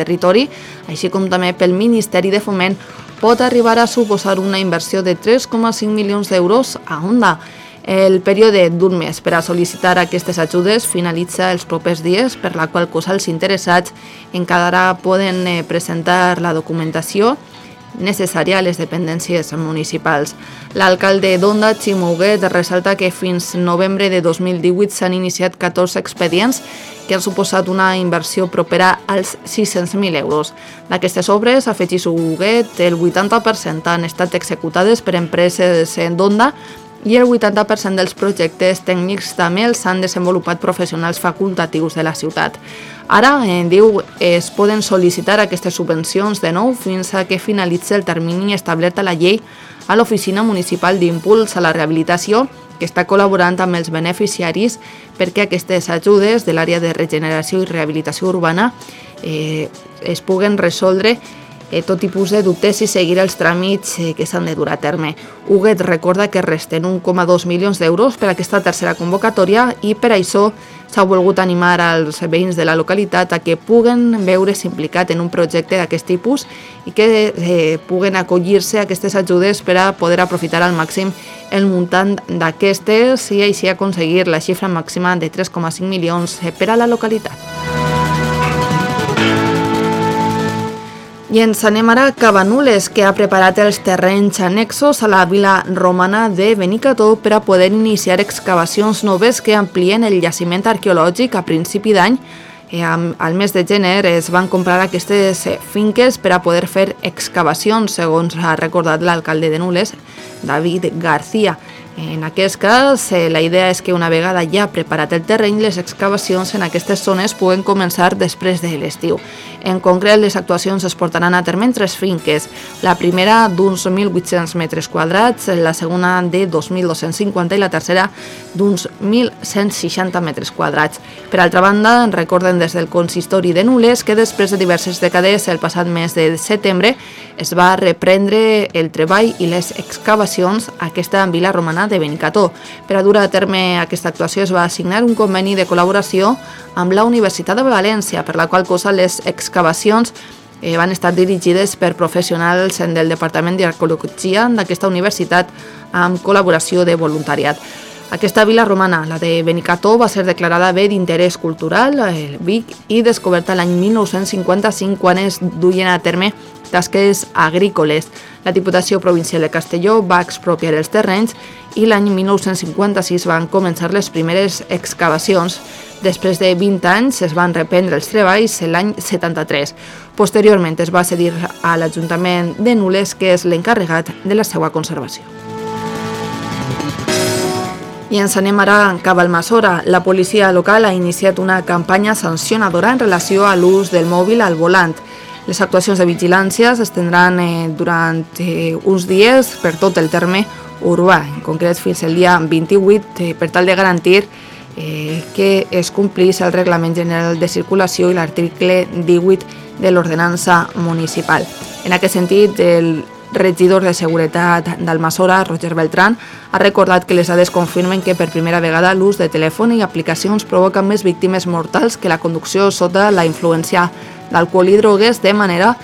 territori, així com també pel Ministeri de Foment, pot arribar a suposar una inversió de 3,5 milions d'euros a Onda. El període d'un mes per a sol·licitar aquestes ajudes finalitza els propers dies, per la qual cosa els interessats encara poden presentar la documentació necessària a les dependències municipals. L'alcalde d'Onda, Ximo Huguet, ressalta que fins novembre de 2018 s'han iniciat 14 expedients que han suposat una inversió propera als 600.000 euros. D'aquestes obres, afegeix Huguet, el 80% han estat executades per empreses d'Onda i el 80% dels projectes tècnics també els han desenvolupat professionals facultatius de la ciutat. Ara, diu, es poden sol·licitar aquestes subvencions de nou fins a que finalitzi el termini establert a la llei a l'Oficina Municipal d'Impuls a la Rehabilitació, que està col·laborant amb els beneficiaris perquè aquestes ajudes de l'àrea de regeneració i rehabilitació urbana es puguen resoldre tot tipus de dubtes i seguir els tràmits que s'han de dur a terme. Huguet recorda que resten 1,2 milions d'euros per a aquesta tercera convocatòria i per això s'ha volgut animar als veïns de la localitat a que puguen veure's implicat en un projecte d'aquest tipus i que puguen acollir-se a aquestes ajudes per a poder aprofitar al màxim el muntant d'aquestes i així aconseguir la xifra màxima de 3,5 milions per a la localitat. I ens anem ara a Cabanules, que ha preparat els terrenys annexos a la vila romana de Benicarló per a poder iniciar excavacions noves que amplien el jaciment arqueològic a principi d'any. Al mes de gener es van comprar aquestes finques per a poder fer excavacions, segons ha recordat l'alcalde de Nules, David García. En aquest cas, la idea és que una vegada ja preparat el terreny, les excavacions en aquestes zones puguen començar després de l'estiu. En concret, les actuacions es portaran a terme en 3 finques. La primera d'uns 1.800 metres quadrats, la segona de 2.250 i la tercera d'uns 1.160 metres quadrats. Per altra banda, recorden des del consistori de Nules que després de diverses dècades, el passat mes de setembre, es va reprendre el treball i les excavacions a aquesta vila romana de Benicarló. Per a dur a terme aquesta actuació es va assignar un conveni de col·laboració amb la Universitat de València, per la qual cosa les excavacions van estar dirigides per professionals del Departament d'Arqueologia d'aquesta universitat amb col·laboració de voluntariat. Aquesta vila romana, la de Benicarló, va ser declarada bé d'interès cultural, el Vic, i descoberta l'any 1955 quan es duien a terme tasques agrícoles. La Diputació Provincial de Castelló va expropiar els terrenys i l'any 1956 van començar les primeres excavacions. Després de 20 anys es van reprendre els treballs l'any 73. Posteriorment es va cedir a l'Ajuntament de Nules, que és l'encarregat de la seva conservació. I ens anem ara cap a Almassora. La policia local ha iniciat una campanya sancionadora en relació a l'ús del mòbil al volant. Les actuacions de vigilància s'estendran durant uns dies per tot el terme urbà, en concret fins el dia 28, per tal de garantir que es complís el Reglament General de Circulació i l'article 18 de l'Ordenança Municipal. En aquest sentit, el regidor de Seguretat d'Almassora, Roger Beltrán, ha recordat que les dades confirmen que per primera vegada l'ús de telèfon i aplicacions provoca més víctimes mortals que la conducció sota la influència d'alcohol i drogues, de manera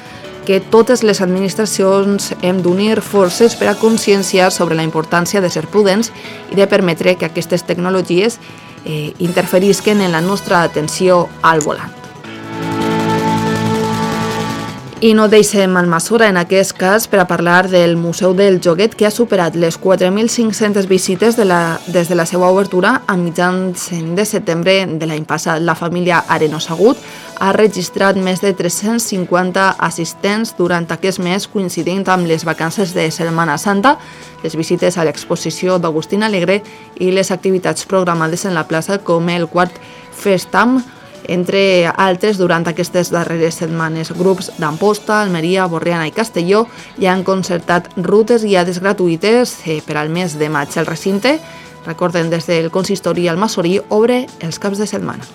que totes les administracions hem d'unir forces per a conscienciar sobre la importància de ser prudents i de permetre que aquestes tecnologies interferisquen en la nostra atenció al volant. I no deixem Almassora en aquest cas per a parlar del Museu del Joguet, que ha superat les 4.500 visites des de la seva obertura a mitjans de setembre de l'any passat. La família Arenos-Agut ha registrat més de 350 assistents durant aquest mes, coincidint amb les vacances de Setmana Santa, les visites a l'exposició d'Agustín Alegre i les activitats programades en la plaça com el quart Festam, entre altres, durant aquestes darreres setmanes. Grups d'Amposta, Almeria, Borriana i Castelló ja han concertat rutes guiades gratuïtes per al mes de maig. El recinte, recorden, des del consistori almassorí, obre els caps de setmana.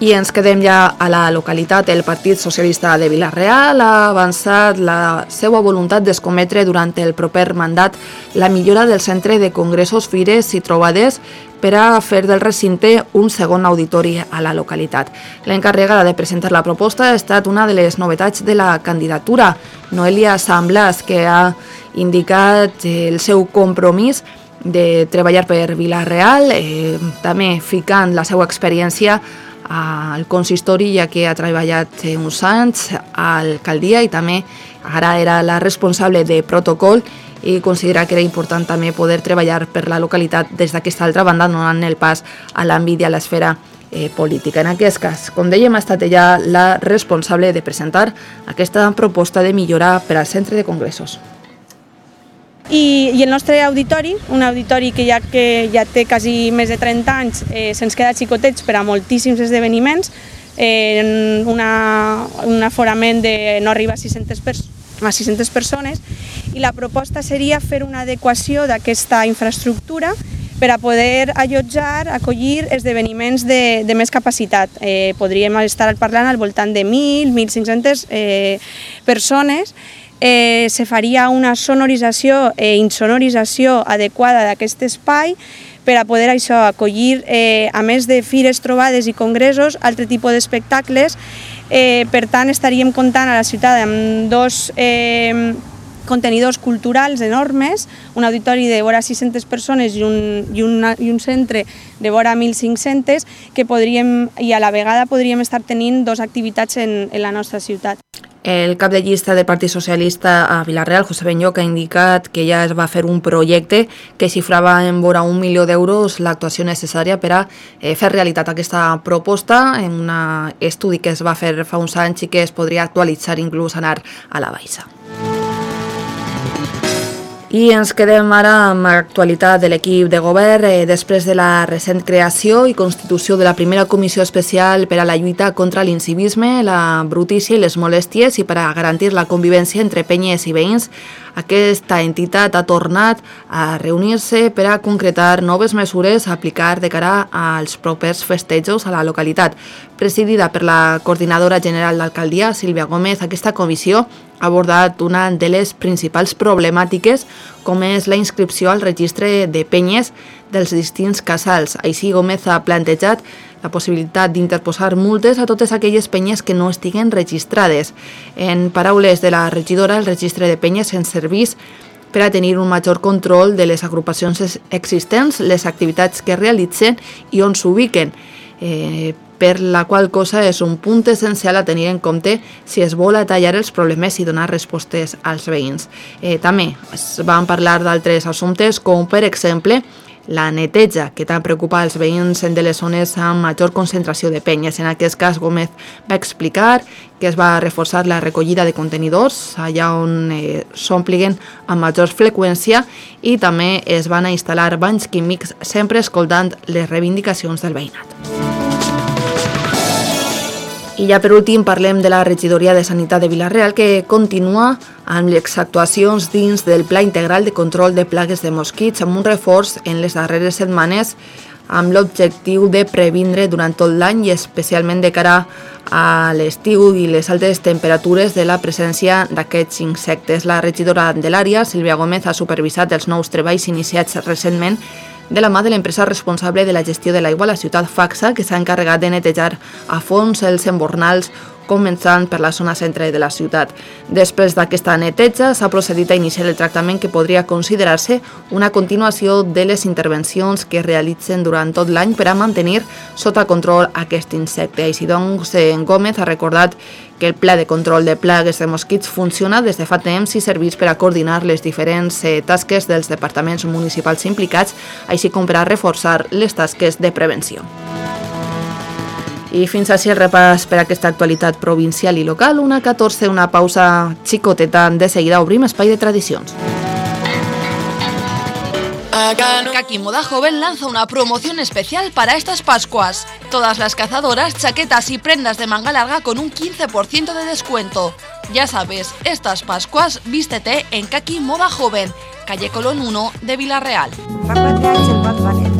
I ens quedem ja a la localitat. El Partit Socialista de Vila-real ha avançat la seva voluntat d'escometre durant el proper mandat la millora del centre de congressos, fires i trobades per a fer del recinte un segon auditori a la localitat. L'encarregada de presentar la proposta ha estat una de les novetats de la candidatura, Noelia San Blas, que ha indicat el seu compromís de treballar per Vila-real, també ficant la seva experiència al consistori, ja que ha treballat uns anys a l'alcaldia i també ara era la responsable de protocol i considera que era important també poder treballar per la localitat des d'aquesta altra banda, donant el pas a l'àmbit i a l'esfera política. En aquest cas, com dèiem, ha estat ella la responsable de presentar aquesta proposta de millora per al centre de congressos. I el nostre auditori, un auditori que ja té quasi més de 30 anys, se'ns queda xicotets per a moltíssims esdeveniments, un aforament de no arriba a 600 persones, i la proposta seria fer una adequació d'aquesta infraestructura per a poder acollir esdeveniments de més capacitat. Podríem estar parlant al voltant de 1.000-1.500 persones. Se faria una sonorització i insonorització adequada d'aquest espai per a poder acollir, a més de fires, trobades i congressos, altre tipus d'espectacles. Per tant, estaríem comptant a la ciutat amb dos contenidors culturals enormes, un auditori de vora 600 persones i un centre de vora 1.500, que podríem, i a la vegada podríem estar tenint dues activitats en la nostra ciutat. El cap de llista del Partit Socialista a Vila-real, José Benyoc, ha indicat que ja es va fer un projecte que xifrava en vora 1 milió d'euros l'actuació necessària per a fer realitat aquesta proposta en un estudi que es va fer fa uns anys i que es podria actualitzar, inclús anar a la baixa. I ens quedem ara amb l'actualitat de l'equip de govern després de la recent creació i constitució de la primera comissió especial per a la lluita contra l'incivisme, la brutícia i les molèsties i per a garantir la convivència entre penyes i veïns. Aquesta entitat ha tornat a reunir-se per a concretar noves mesures a aplicar de cara als propers festejos a la localitat. Presidida per la coordinadora general d'alcaldia, Sílvia Gómez, aquesta comissió ha abordat una de les principals problemàtiques, com és la inscripció al registre de penyes dels distints casals. Així, Gómez ha plantejat la possibilitat d'interposar multes a totes aquelles penyes que no estiguen registrades. En paraules de la regidora, el registre de penyes ens serveix per a tenir un major control de les agrupacions existents, les activitats que realitzen i on s'ubiquen, per la qual cosa és un punt essencial a tenir en compte si es vol atallar els problemes i donar respostes als veïns. També es van parlar d'altres assumptes, com per exemple la neteja, que tant preocupa els veïns de les zones amb major concentració de penyes. En aquest cas, Gómez va explicar que es va reforçar la recollida de contenidors allà on s'ompliguin amb major freqüència i també es van instal·lar banys químics, sempre escoltant les reivindicacions del veïnat. I ja per últim parlem de la regidoria de Sanitat de Vila-real, que continua amb les actuacions dins del Pla Integral de Control de Plagues de Mosquits, amb un reforç en les darreres setmanes amb l'objectiu de previndre durant tot l'any i especialment de cara a l'estiu i les altes temperatures de la presència d'aquests insectes. La regidora de l'àrea, Sílvia Gómez, ha supervisat els nous treballs iniciats recentment de la mà de l'empresa responsable de la gestió de l'aigua a la ciutat Facsa, que s'ha encarregat de netejar a fons els embornals, començant per la zona centre de la ciutat. Després d'aquesta neteja s'ha procedit a iniciar el tractament que podria considerar-se una continuació de les intervencions que es realitzen durant tot l'any per a mantenir sota control aquest insecte. Així doncs, en Gómez ha recordat que el Pla de Control de Plagues de Mosquits funciona des de fa temps i serveix per a coordinar les diferents tasques dels departaments municipals implicats, així com per a reforçar les tasques de prevenció. I fins així el repàs per a aquesta actualitat provincial i local. 1:14, una pausa xicoteta. De seguida obrim espai de tradicions. Kaki Moda Joven lanza una promoción especial para estas Pascuas. Todas las cazadoras, chaquetas y prendas de manga larga con un 15% de descuento. Ya sabes, estas Pascuas vístete en Kaki Moda Joven, calle Colón 1 de Vila-real. Fa 4 anys el Paz va néixer.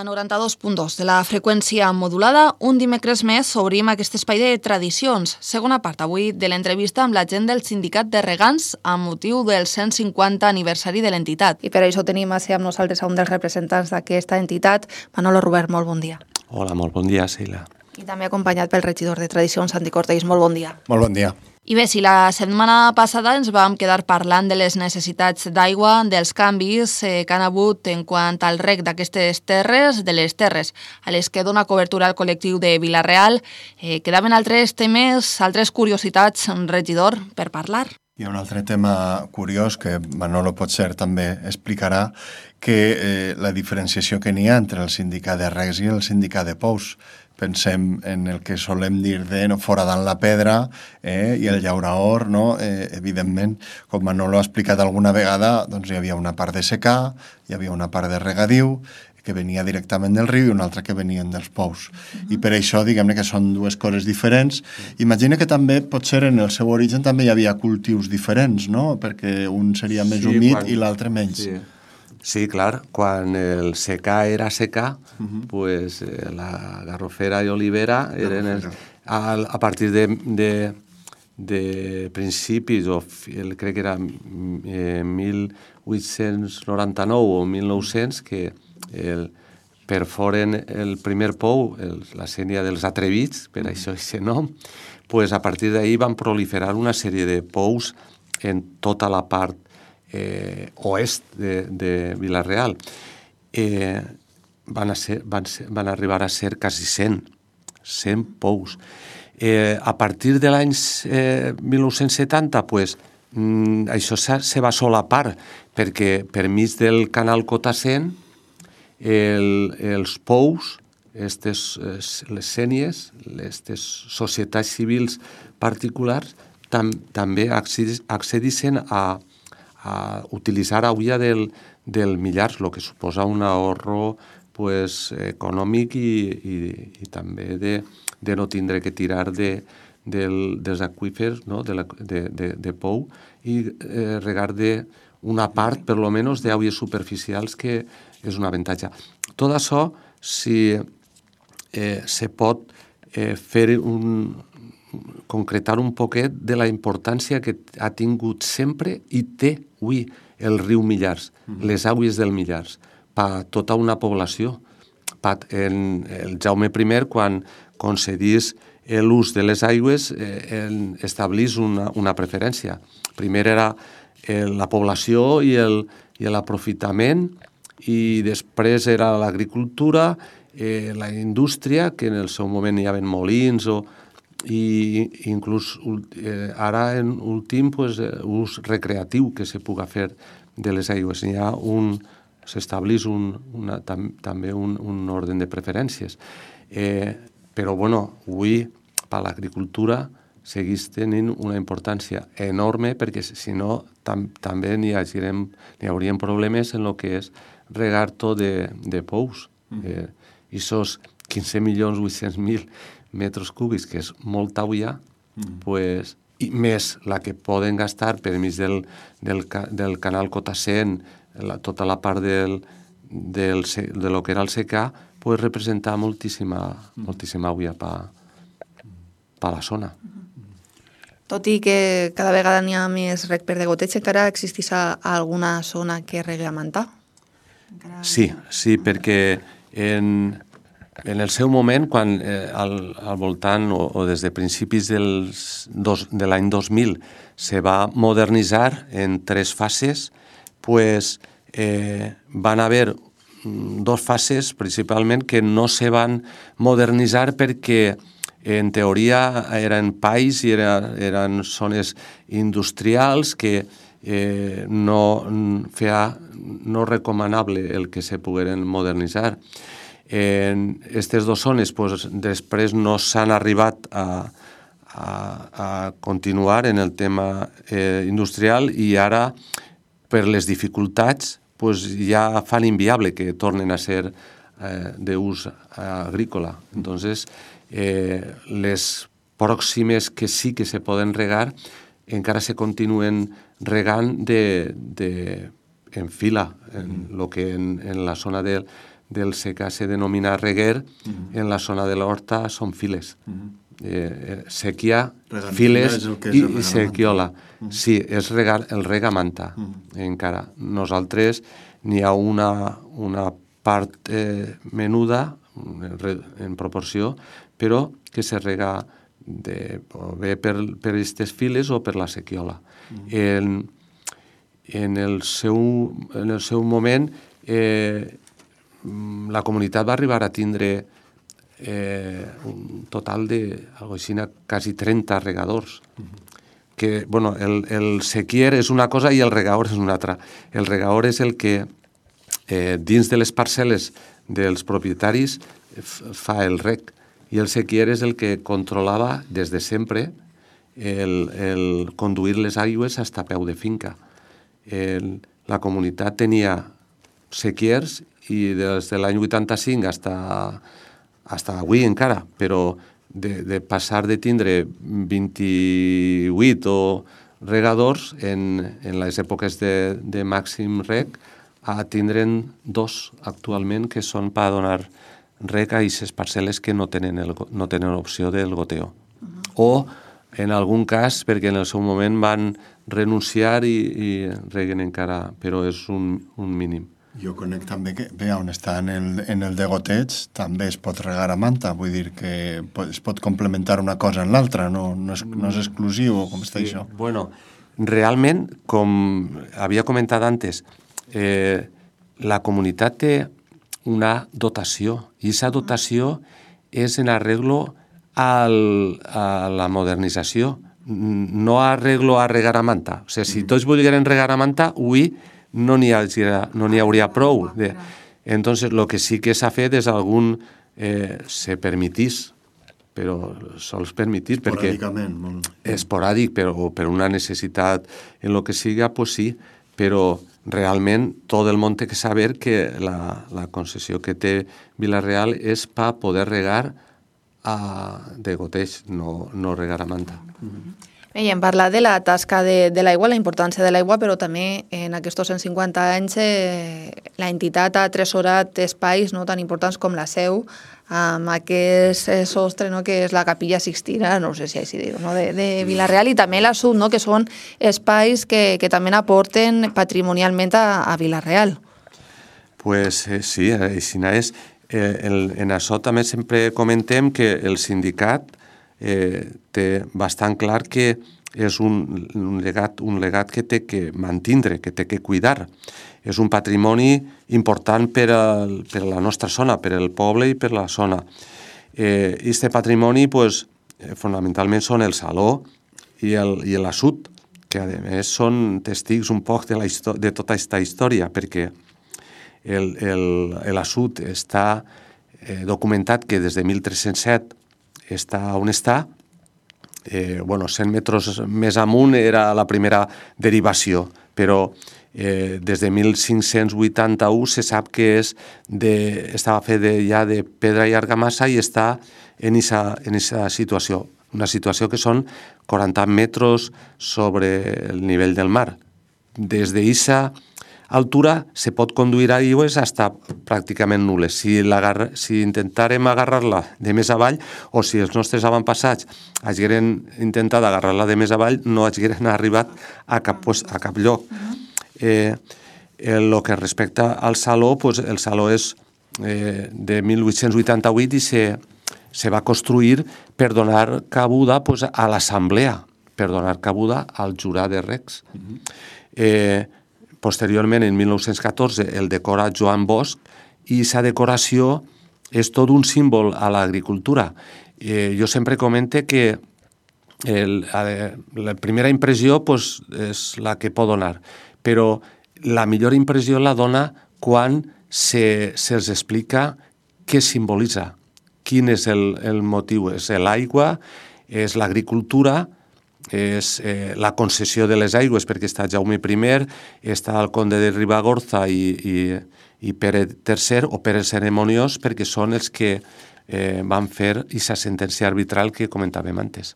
la 92.2 de la freqüència modulada, un dimecres més obrim aquest espai de tradicions. Segona part avui de l'entrevista amb la gent del Sindicat de Regants amb motiu del 150 aniversari de l'entitat. I per això tenim a ser amb nosaltres un dels representants d'aquesta entitat. Manolo Robert, molt bon dia. Hola, molt bon dia, Sheila. I també acompanyat pel regidor de Tradicions, Santi Cortells. Molt bon dia. Molt bon dia. I bé, si la setmana passada ens vam quedar parlant de les necessitats d'aigua, dels canvis que han hagut en quant al reg d'aquestes terres, de les terres a les que dona cobertura al col·lectiu de Vila-real, quedaven altres temes, altres curiositats, regidor, per parlar. Hi ha un altre tema curiós que Manolo potser també explicarà, que la diferenciació que n'hi ha entre el sindicat de regs i el sindicat de pous. Pensem en el que solem dir de foradant la pedra i el llauraor, no? Evidentment, com Manolo ha explicat alguna vegada, doncs hi havia una part de secà, hi havia una part de regadiu, que venia directament del riu i una altra que venien dels pous. I per això, diguem-ne que són dues coses diferents. Imagina que també, potser en el seu origen també hi havia cultius diferents, no? Perquè un seria més humit i l'altre menys. Sí, clar, quan el secà era secà, pues la garrofera i olivera eren a partir de principis, crec que era 1899 o 1900, que perforen el primer pou, la sénia dels atrevits, per això aquest nom, pues a partir d'ahir van proliferar una sèrie de pous en tota la part oest de Vila-real. Van arribar a ser quasi 100 pous. A partir de l'any 1970, pues, això se va solapar, perquè per mig del canal Cota-Cent, els pous, les sénies, les societats civils particulars, també accedissin a utilitzar aigua del millars, el que suposa un ahorro econòmic i també de no tindre que tirar dels aqüífers, no? de pou, i regar una part, per lo menos, d'aigües superficials, que és un avantatge. Tot això, si se pot concretar un poquet de la importància que ha tingut sempre i té avui el riu Millars, les aigües del Millars, per tota una població. El Jaume I, quan concedís l'ús de les aigües, establís una preferència. Primer era la població i l'aprofitament, i després era l'agricultura, la indústria, que en el seu moment hi havia molins, i inclús ara en últim ús recreatiu que se puga fer de les aigües. S'establís també un ordre de preferències. Però, avui, per l'agricultura, segueix tenint una importància enorme, perquè si no també n'hi haurien problemes en el que és regar tot de pous. I sos 15.800.000 metres cúbics, que és molta aigua, i més la que poden gastar per mig del canal Cota-Cent, tota la part de lo que era el secà, representar moltíssima aigua per la zona. Tot i que cada vegada n'hi ha més reg per degoteig, encara existeix alguna zona que regui a mantà? Sí, perquè en el seu moment, quan al voltant o des de principis de l'any 2000 se va modernitzar en 3 fases, van haver 2 fases principalment que no se van modernitzar perquè en teoria eren pais i eren zones industrials que no recomanable el que se pogueren modernitzar. En aquestes 2 zones després no s'han arribat a continuar en el tema industrial, i ara, per les dificultats, ja fan inviable que tornen a ser d'ús agrícola. Entonces, les pròximes que sí que se poden regar encara se continuen regant en fila, en la zona del secà se denomina reguer, en la zona de l'horta són files. Sequia, files i sequiola. Sí, és el regamanta, encara. Nosaltres n'hi ha una part menuda, en proporció, però que se rega o bé per aquestes files o per la sequiola. En el seu moment, la comunitat va arribar a tindre un total de quasi 30 regadors. Que, bueno, el sequier és una cosa i el regador és una altra. El regador és el que dins de les parcel·les dels propietaris fa el reg, i el sequier és el que controlava des de sempre el conduir les aigües fins a peu de finca. La comunitat tenia sequiers i des de l'any 85 fins avui encara, però de passar de tindre 28 o regadors en les èpoques de màxim reg a tindre'n 2 actualment, que són per donar reg a aquestes parcel·les que no tenen opció del goteo. O, en algun cas, perquè en el seu moment van renunciar i reguen encara, però és un mínim. Jo conec també que, bé, on està en el de goteig, també es pot regar a manta, vull dir que es pot complementar una cosa en l'altra, no és exclusiu, com està això? Bueno, realment, com havia comentat antes, la comunitat té una dotació, i aquesta dotació és en arreglo a la modernització, no arreglo a regar a manta. O sigui, si tots volgueren regar a manta, avui no n'hi hauria prou. Entonces, lo que sí que s'ha fet és se permitís, però sols permitís, perquè esporàdic, però per una necessitat en lo que siga, pues sí, però realment tot el món té que saber que la concessió que té Vila-real és per poder regar de goteig, no regar a manta. I hem parlat de la tasca de l'aigua, la importància de l'aigua, però també en aquests 150 anys la entitat ha atresorat espais tan importants com la Seu, amb aquest sostre que és la Capilla Sixtina, no sé si així dir, de Vila-real, i també la Sud, que són espais que també aporten patrimonialment a Vila-real. Pues sí, així és. En això també sempre comentem que el sindicat té bastant clar que és un legat que té que mantindre, que té que cuidar. És un patrimoni important per a la nostra zona, per al poble i per la zona. Este patrimoni, fonamentalment, són el saló i l'assut, que a més són testigs un poc de tota aquesta història, perquè l'assut està documentat que des de 1307 està on està. 100 metres més amunt era la primera derivació, però des de 1581 se sap que estava fet ja de pedra i argamassa i està en aquesta situació. Una situació que són 40 metres sobre el nivell del mar. Des d'aquesta altura se pot conduir aigües fins pràcticament nul·les. Si intentàrem agarrar-la de més avall, o si els nostres avantpassats hagueren intentat agarrar-la de més avall, no hagueren arribat a cap lloc. El que respecta al saló, el saló és de 1888 i se va construir per donar cabuda a l'assemblea, per donar cabuda al jurat de regs. Posteriorment, en 1914, el decora Joan Bosch i aquesta decoració és tot un símbol a l'agricultura. Jo sempre comente que la primera impressió és la que pot donar, però la millor impressió la dona quan se'ls explica què simbolitza, quin és el motiu. És l'aigua, és l'agricultura, és la concessió de les aigües, perquè està Jaume I, està el conde de Ribagorza i Pere III o Pere Ceremoniós, perquè són els que van fer aquesta sentència arbitral que comentàvem antes.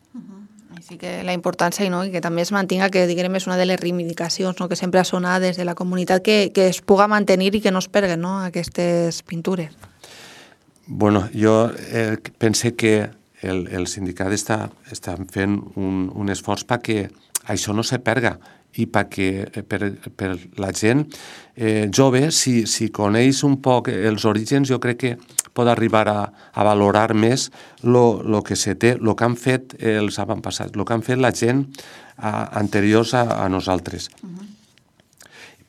Així que la importància i que també es mantinga, que diguem és una de les reivindicacions que sempre ha sonat des de la comunitat, que es puga mantenir i que no es perguen aquestes pintures. Bueno, jo pense que el sindicat està fent un esforç perquè això no se perga i perquè per la gent jove, si coneix un poc els orígens, jo crec que pot arribar a valorar més el que se té, el que han fet els avantpassats, el que han fet la gent anteriors a nosaltres.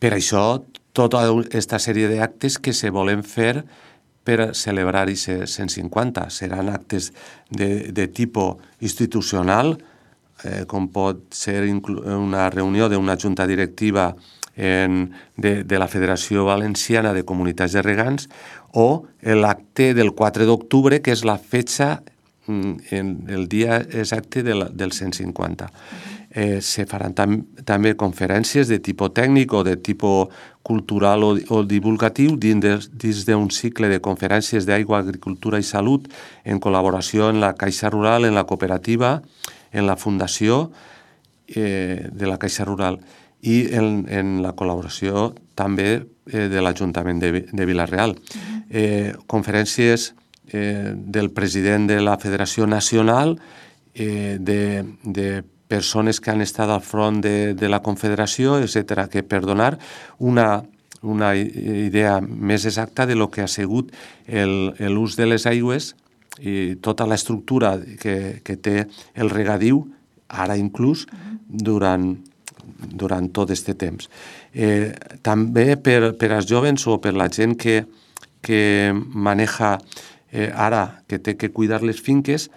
Per això, tota aquesta sèrie d'actes que se volen fer per celebrar aquest 150 seran actes de tipus institucional, com pot ser una reunió d'una junta directiva de la Federació Valenciana de Comunitats de Regants, o l'acte del 4 d'octubre, que és la fetge, el dia exacte del 150. Se faran també conferències de tipus tècnic o de tipus cultural o divulgatiu dins d'un cicle de conferències d'aigua, agricultura i salut en col·laboració amb la Caixa Rural, en la cooperativa, en la fundació de la Caixa Rural i en la col·laboració també de l'Ajuntament de Vila-real. Conferències del president de la Federació Nacional, de persones que han estat al front de la Confederació, etc., que per donar una idea més exacta de lo que ha sigut l'ús de les aigües i tota l'estructura que té el regadiu, ara inclús, durant tot aquest temps. També per als joves o per la gent que maneja ara, que té que cuidar les finques,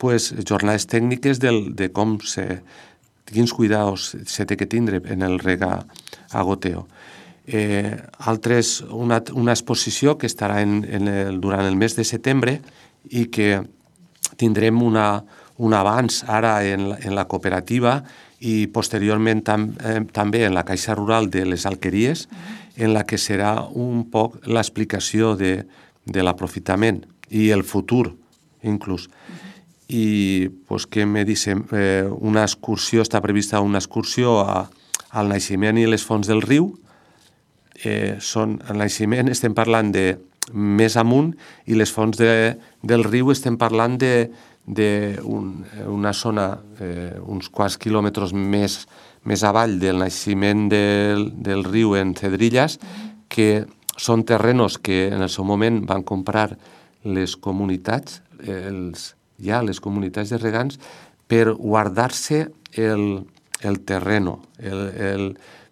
jornades tècniques de quins cuidados se té que tindre en el regagoteo. Una exposició que estarà durant el mes de setembre i que tindrem un avanç ara en la cooperativa i posteriorment també en la Caixa Rural de les Alqueries, en la que serà un poc l'explicació de l'aprofitament i el futur, inclús. I què me dicen? Una excursió, està prevista una excursió al naixement i les fonts del riu. Al naixement estem parlant de més amunt i les fonts del riu estem parlant d'una zona uns quants quilòmetres més avall del naixement del riu en Cedrillas, que són terrenos que en el seu moment van comprar les comunitats, les comunitats de regants, per guardar-se el terreno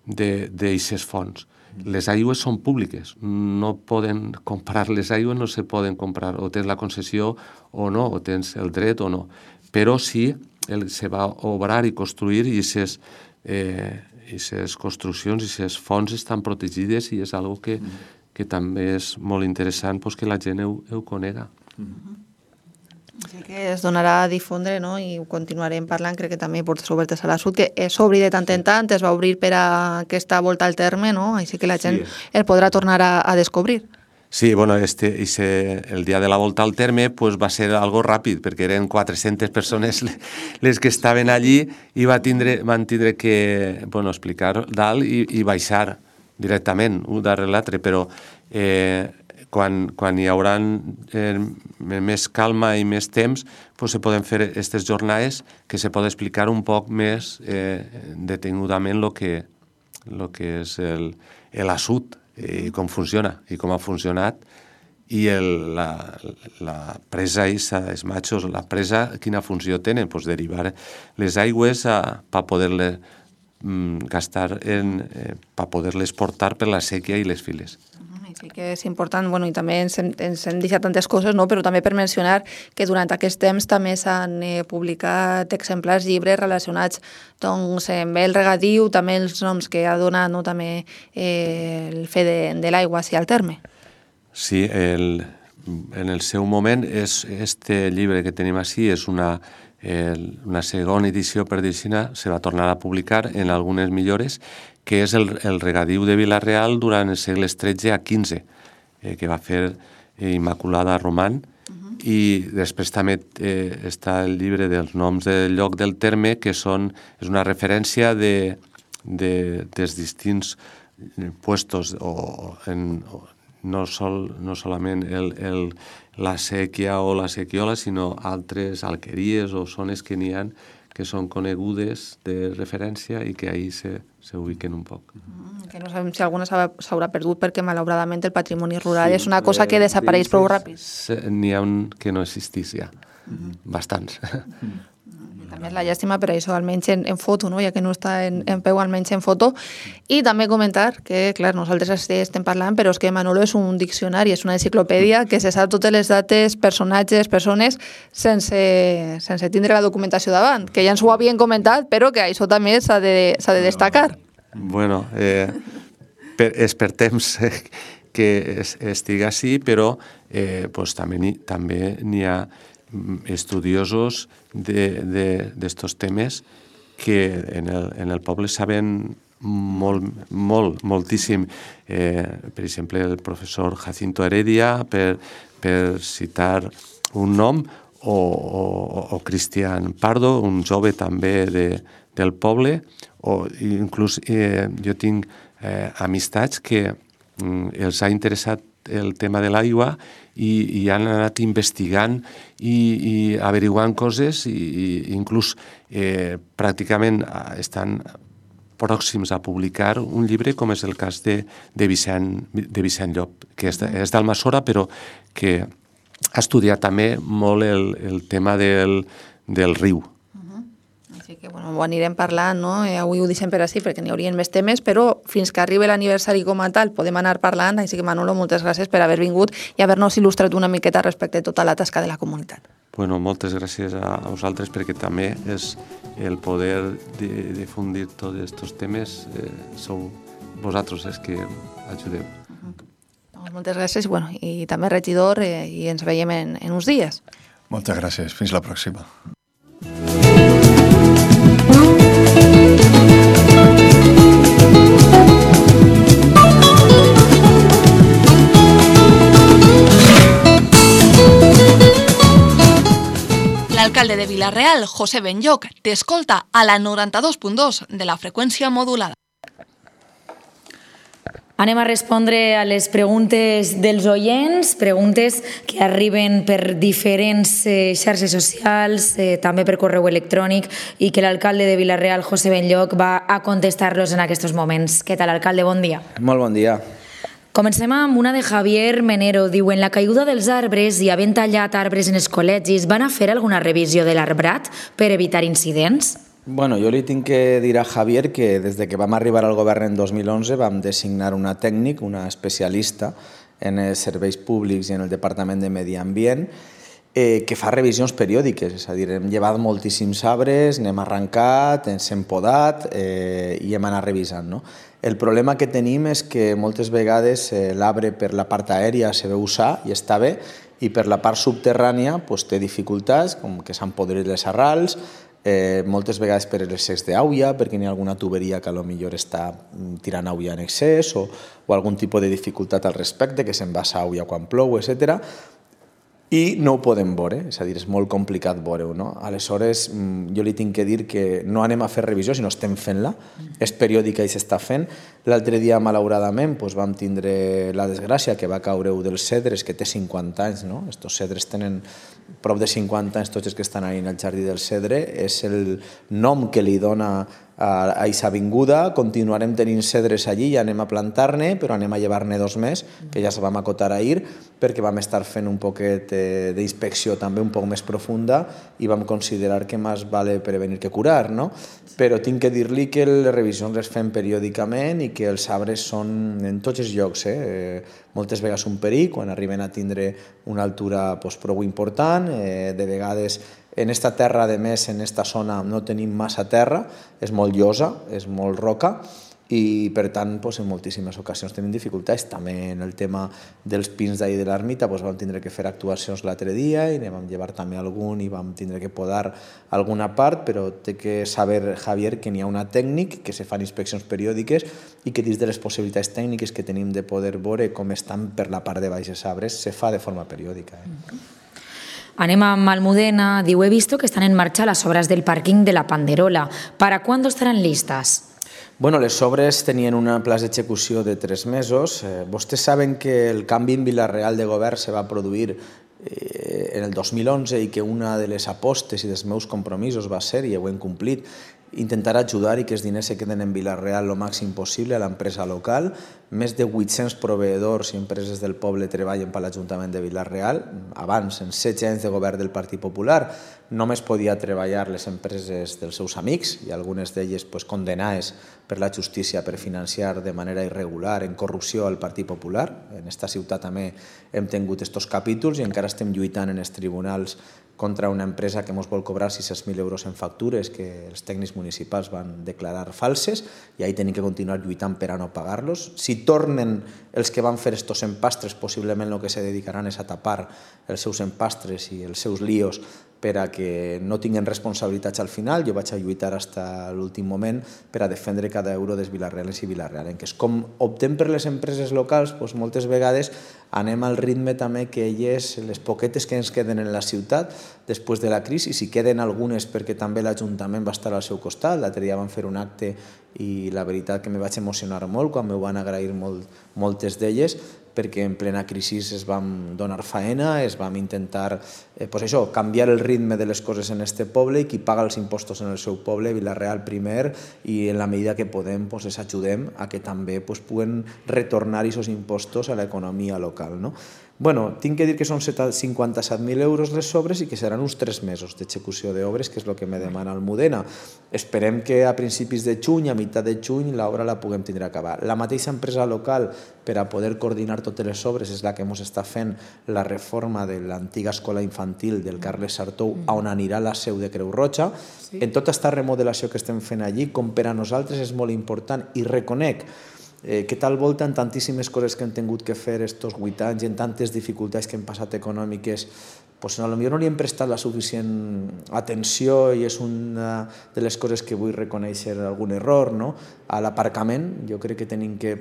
d'aixes fonts. Les aigües són públiques, no poden comprar les aigües, no se poden comprar, o tens la concessió o no, o tens el dret o no, però sí se va obrar i construir i aquestes construccions i aquestes fonts estan protegides i és una cosa que també és molt interessant que la gent ho conega. Així que es donarà a difondre i ho continuarem parlant, crec que també Portes Obertes a la Sud, que s'obri de tant en tant, es va obrir per a aquesta volta al terme, així que la gent el podrà tornar a descobrir. Sí, bueno, el dia de la volta al terme va ser algo ràpid, perquè eren 400 persones les que estaven allí i van tindre que explicar dalt i baixar directament, un darrere l'altre, però quan hi haurà més calma i més temps, se poden fer aquestes jornades que se pot explicar un poc més detenudament el que és l'assut i com funciona i com ha funcionat i la presa, els matxos, la presa, quina funció tenen? Derivar les aigües per poder-les gastar, per poder-les portar per la sèquia i les files. Sí que és important, i també ens hem deixat tantes coses, però també per mencionar que durant aquest temps també s'han publicat exemplars llibres relacionats amb el regadiu, també els noms que ha donat també el fe de l'aigua al terme. Sí, en el seu moment, este llibre que tenim així és una segona edició, per dir-ho, se va tornar a publicar en algunes millores, que és el regadiu de Vila-real durant els segles XIII a XV, que va fer Immaculada Román, I després també està el llibre dels noms del lloc del terme, que és una referència dels distints puestos, no solament la sèquia o la sequiola, sinó altres alqueries o zones que n'hi ha que són conegudes de referència i que ahir s'ubiquen un poc. Que no sabem si alguna s'haurà perdut perquè malauradament el patrimoni rural és una cosa que desapareix prou ràpid. N'hi ha un que no existís ja, bastants. També és la llàstima, però això almenys en foto, ja que no està en peu, almenys en foto. I també comentar que, clar, nosaltres estem parlant, però és que Manolo és un diccionari, és una enciclopèdia que se sap totes les dates, personatges, persones, sense tindre la documentació davant, que ja ens ho havien comentat, però que això també s'ha de destacar. Bueno, és per temps que estigui així, però també n'hi ha estudiosos d'estos temes que en el poble saben moltíssim. Per exemple, el professor Jacinto Heredia, per citar un nom, o Cristian Pardo, un jove també del poble, o inclús jo tinc amistats que els ha interessat el tema de l'aigua i han anat investigant i averiguant coses i inclús pràcticament estan pròxims a publicar un llibre com és el cas de Vicent Llop, que és d'Almassora però que ha estudiat també molt el tema del riu. Així que ho anirem parlant, no? Avui ho deixem per així perquè n'hi haurien més temes, però fins que arribi l'aniversari com a tal podem anar parlant, així que Manolo, moltes gràcies per haver vingut i haver-nos il·lustrat una miqueta respecte a tota la tasca de la comunitat. Bueno, moltes gràcies a vosaltres perquè també és el poder difundir tots aquests temes, sou vosaltres els que ajudeu. Moltes gràcies i també regidor i ens veiem en uns dies. Moltes gràcies, fins la pròxima. L'alcalde de Vila-real, José Benlloc, t'escolta a la 92.2 de la freqüència modulada. Anem a respondre a les preguntes dels oients, preguntes que arriben per diferents xarxes socials, també per correu electrònic, i que l'alcalde de Vila-real, José Benlloc, va a contestar-los en aquests moments. Què tal, alcalde? Bon dia. Molt bon dia. Comencem amb una de Javier Menero. Diu, en la caiguda dels arbres i havent tallat arbres en els col·legis, van a fer alguna revisió de l'arbrat per evitar incidents? Bueno, jo li tinc que dir a Javier que des de que vam arribar al govern en 2011 vam designar una tècnic, una especialista en els serveis públics i en el Departament de Medi Ambient que fa revisions periòdiques, és a dir, hem llevat moltíssims arbres, n'hem arrencat, ens hem podat i hem anat revisant, no? El problema que tenim és que moltes vegades l'arbre per la part aèria se veu usar i està bé, i per la part subterrània té dificultats, com que s'han podrit les arrels, moltes vegades per l'excés d'auia, perquè n'hi ha alguna tuberia que potser està tirant auia en excés o algun tipus de dificultat al respecte, que se'n vassa auia quan plou, etc. I no ho podem veure, és a dir, és molt complicat veure-ho, no? Aleshores, jo li tinc que dir que no anem a fer revisió, sinó estem fent-la, és periòdica i s'està fent. L'altre dia, malauradament, vam tindre la desgràcia que va caure un dels cedres, que té 50 anys, no? Estos cedres tenen prop de 50 anys, tots els que estan ahí en el jardí del cedre, és el nom que li dona a aquesta avinguda. Continuarem tenint cedres allí i anem a plantar-ne, però anem a llevar-ne 2 més, que ja se vam acotar ahir, perquè vam estar fent un poquet d'inspecció també un poc més profunda i vam considerar que més vale prevenir que curar, no? Però tinc que dir-li que les revisions les fem periòdicament i que els arbres són en tots els llocs, moltes vegades un perill, quan arriben a tindre una altura prou important, de vegades en esta terra, a més, en esta zona no tenim massa terra, és molt llosa, és molt roca, i per tant en moltíssimes ocasions tenim dificultats. També en el tema dels pins d'ahir de l'ermita vam tindre que fer actuacions l'altre dia i ne vam llevar també algun i vam tindre que podar alguna part, però té que saber, Javier, que n'hi ha una tècnic, que se fan inspeccions periòdiques i que dins de les possibilitats tècniques que tenim de poder veure com estan per la part de baix els arbres se fa de forma periòdica. Anem amb Almudena. Diu, he visto que están en marcha las obras del parking de la Panderola. ¿Para cuándo estarán listas? Bueno, les obres tenien un pla d'execució de 3 mesos. Vostès saben que el canvi en Vila-real de govern se va produir en el 2011 i que una de les apostes i dels meus compromisos va ser, i ho hem complit, intentar ajudar i que els diners se queden en Vila-real el màxim possible a l'empresa local. Més de 800 proveïdors i empreses del poble treballen per l'Ajuntament de Vila-real. Abans, en 16 anys de govern del Partit Popular, només podia treballar les empreses dels seus amics i algunes d'elles condenades per la justícia per financiar de manera irregular en corrupció al Partit Popular. En esta ciutat també hem tingut aquests capítols i encara estem lluitant en els tribunals contra una empresa que ens vol cobrar 600.000 euros en factures que els tècnics municipals van declarar falses i ahí tenim que continuar lluitant per a no pagar-los. Si tornen els que van fer estos empastres, possiblement el que se dedicaran és a tapar els seus empastres i els seus líos per a que no tinguin responsabilitats al final. Jo vaig a lluitar fins a l'últim moment per a defendre cada euro dels vilarrealens i vilarrealenques. Com optem per les empreses locals, moltes vegades anem al ritme també que elles, les poquetes que ens queden en la ciutat, després de la crisi, si queden algunes perquè també l'Ajuntament va estar al seu costat. L'altre dia van fer un acte i la veritat que me vaig emocionar molt quan me van agrair moltes d'elles, perquè en plena crisi es vam donar faena, es vam intentar canviar el ritme de les coses en este poble i qui paga els impostos en el seu poble, Vila-real primer, i en la medida que podem els ajudem a que també puguen retornar aquests impostos a l'economia local. Bueno, tinc que dir que són 57.000 euros les obres i que seran uns 3 mesos d'execució d'obres, que és el que me demana Almudena. Esperem que a principis de juny, a meitat de juny, l'obra la puguem tindre acabar. La mateixa empresa local, per a poder coordinar totes les obres, és la que ens està fent la reforma de l'antiga escola infantil del Carles Sartou, on anirà la seu de Creu Roja. En tota aquesta remodelació que estem fent allí, com per a nosaltres és molt important, i reconec que tal volta en tantíssimes coses que hem tingut que fer estos 8 anys i en tantes dificultats que hem passat econòmiques, potser no li hem prestat la suficient atenció i és una de les coses que vull reconèixer algun error. A l'aparcament, jo crec que tenim que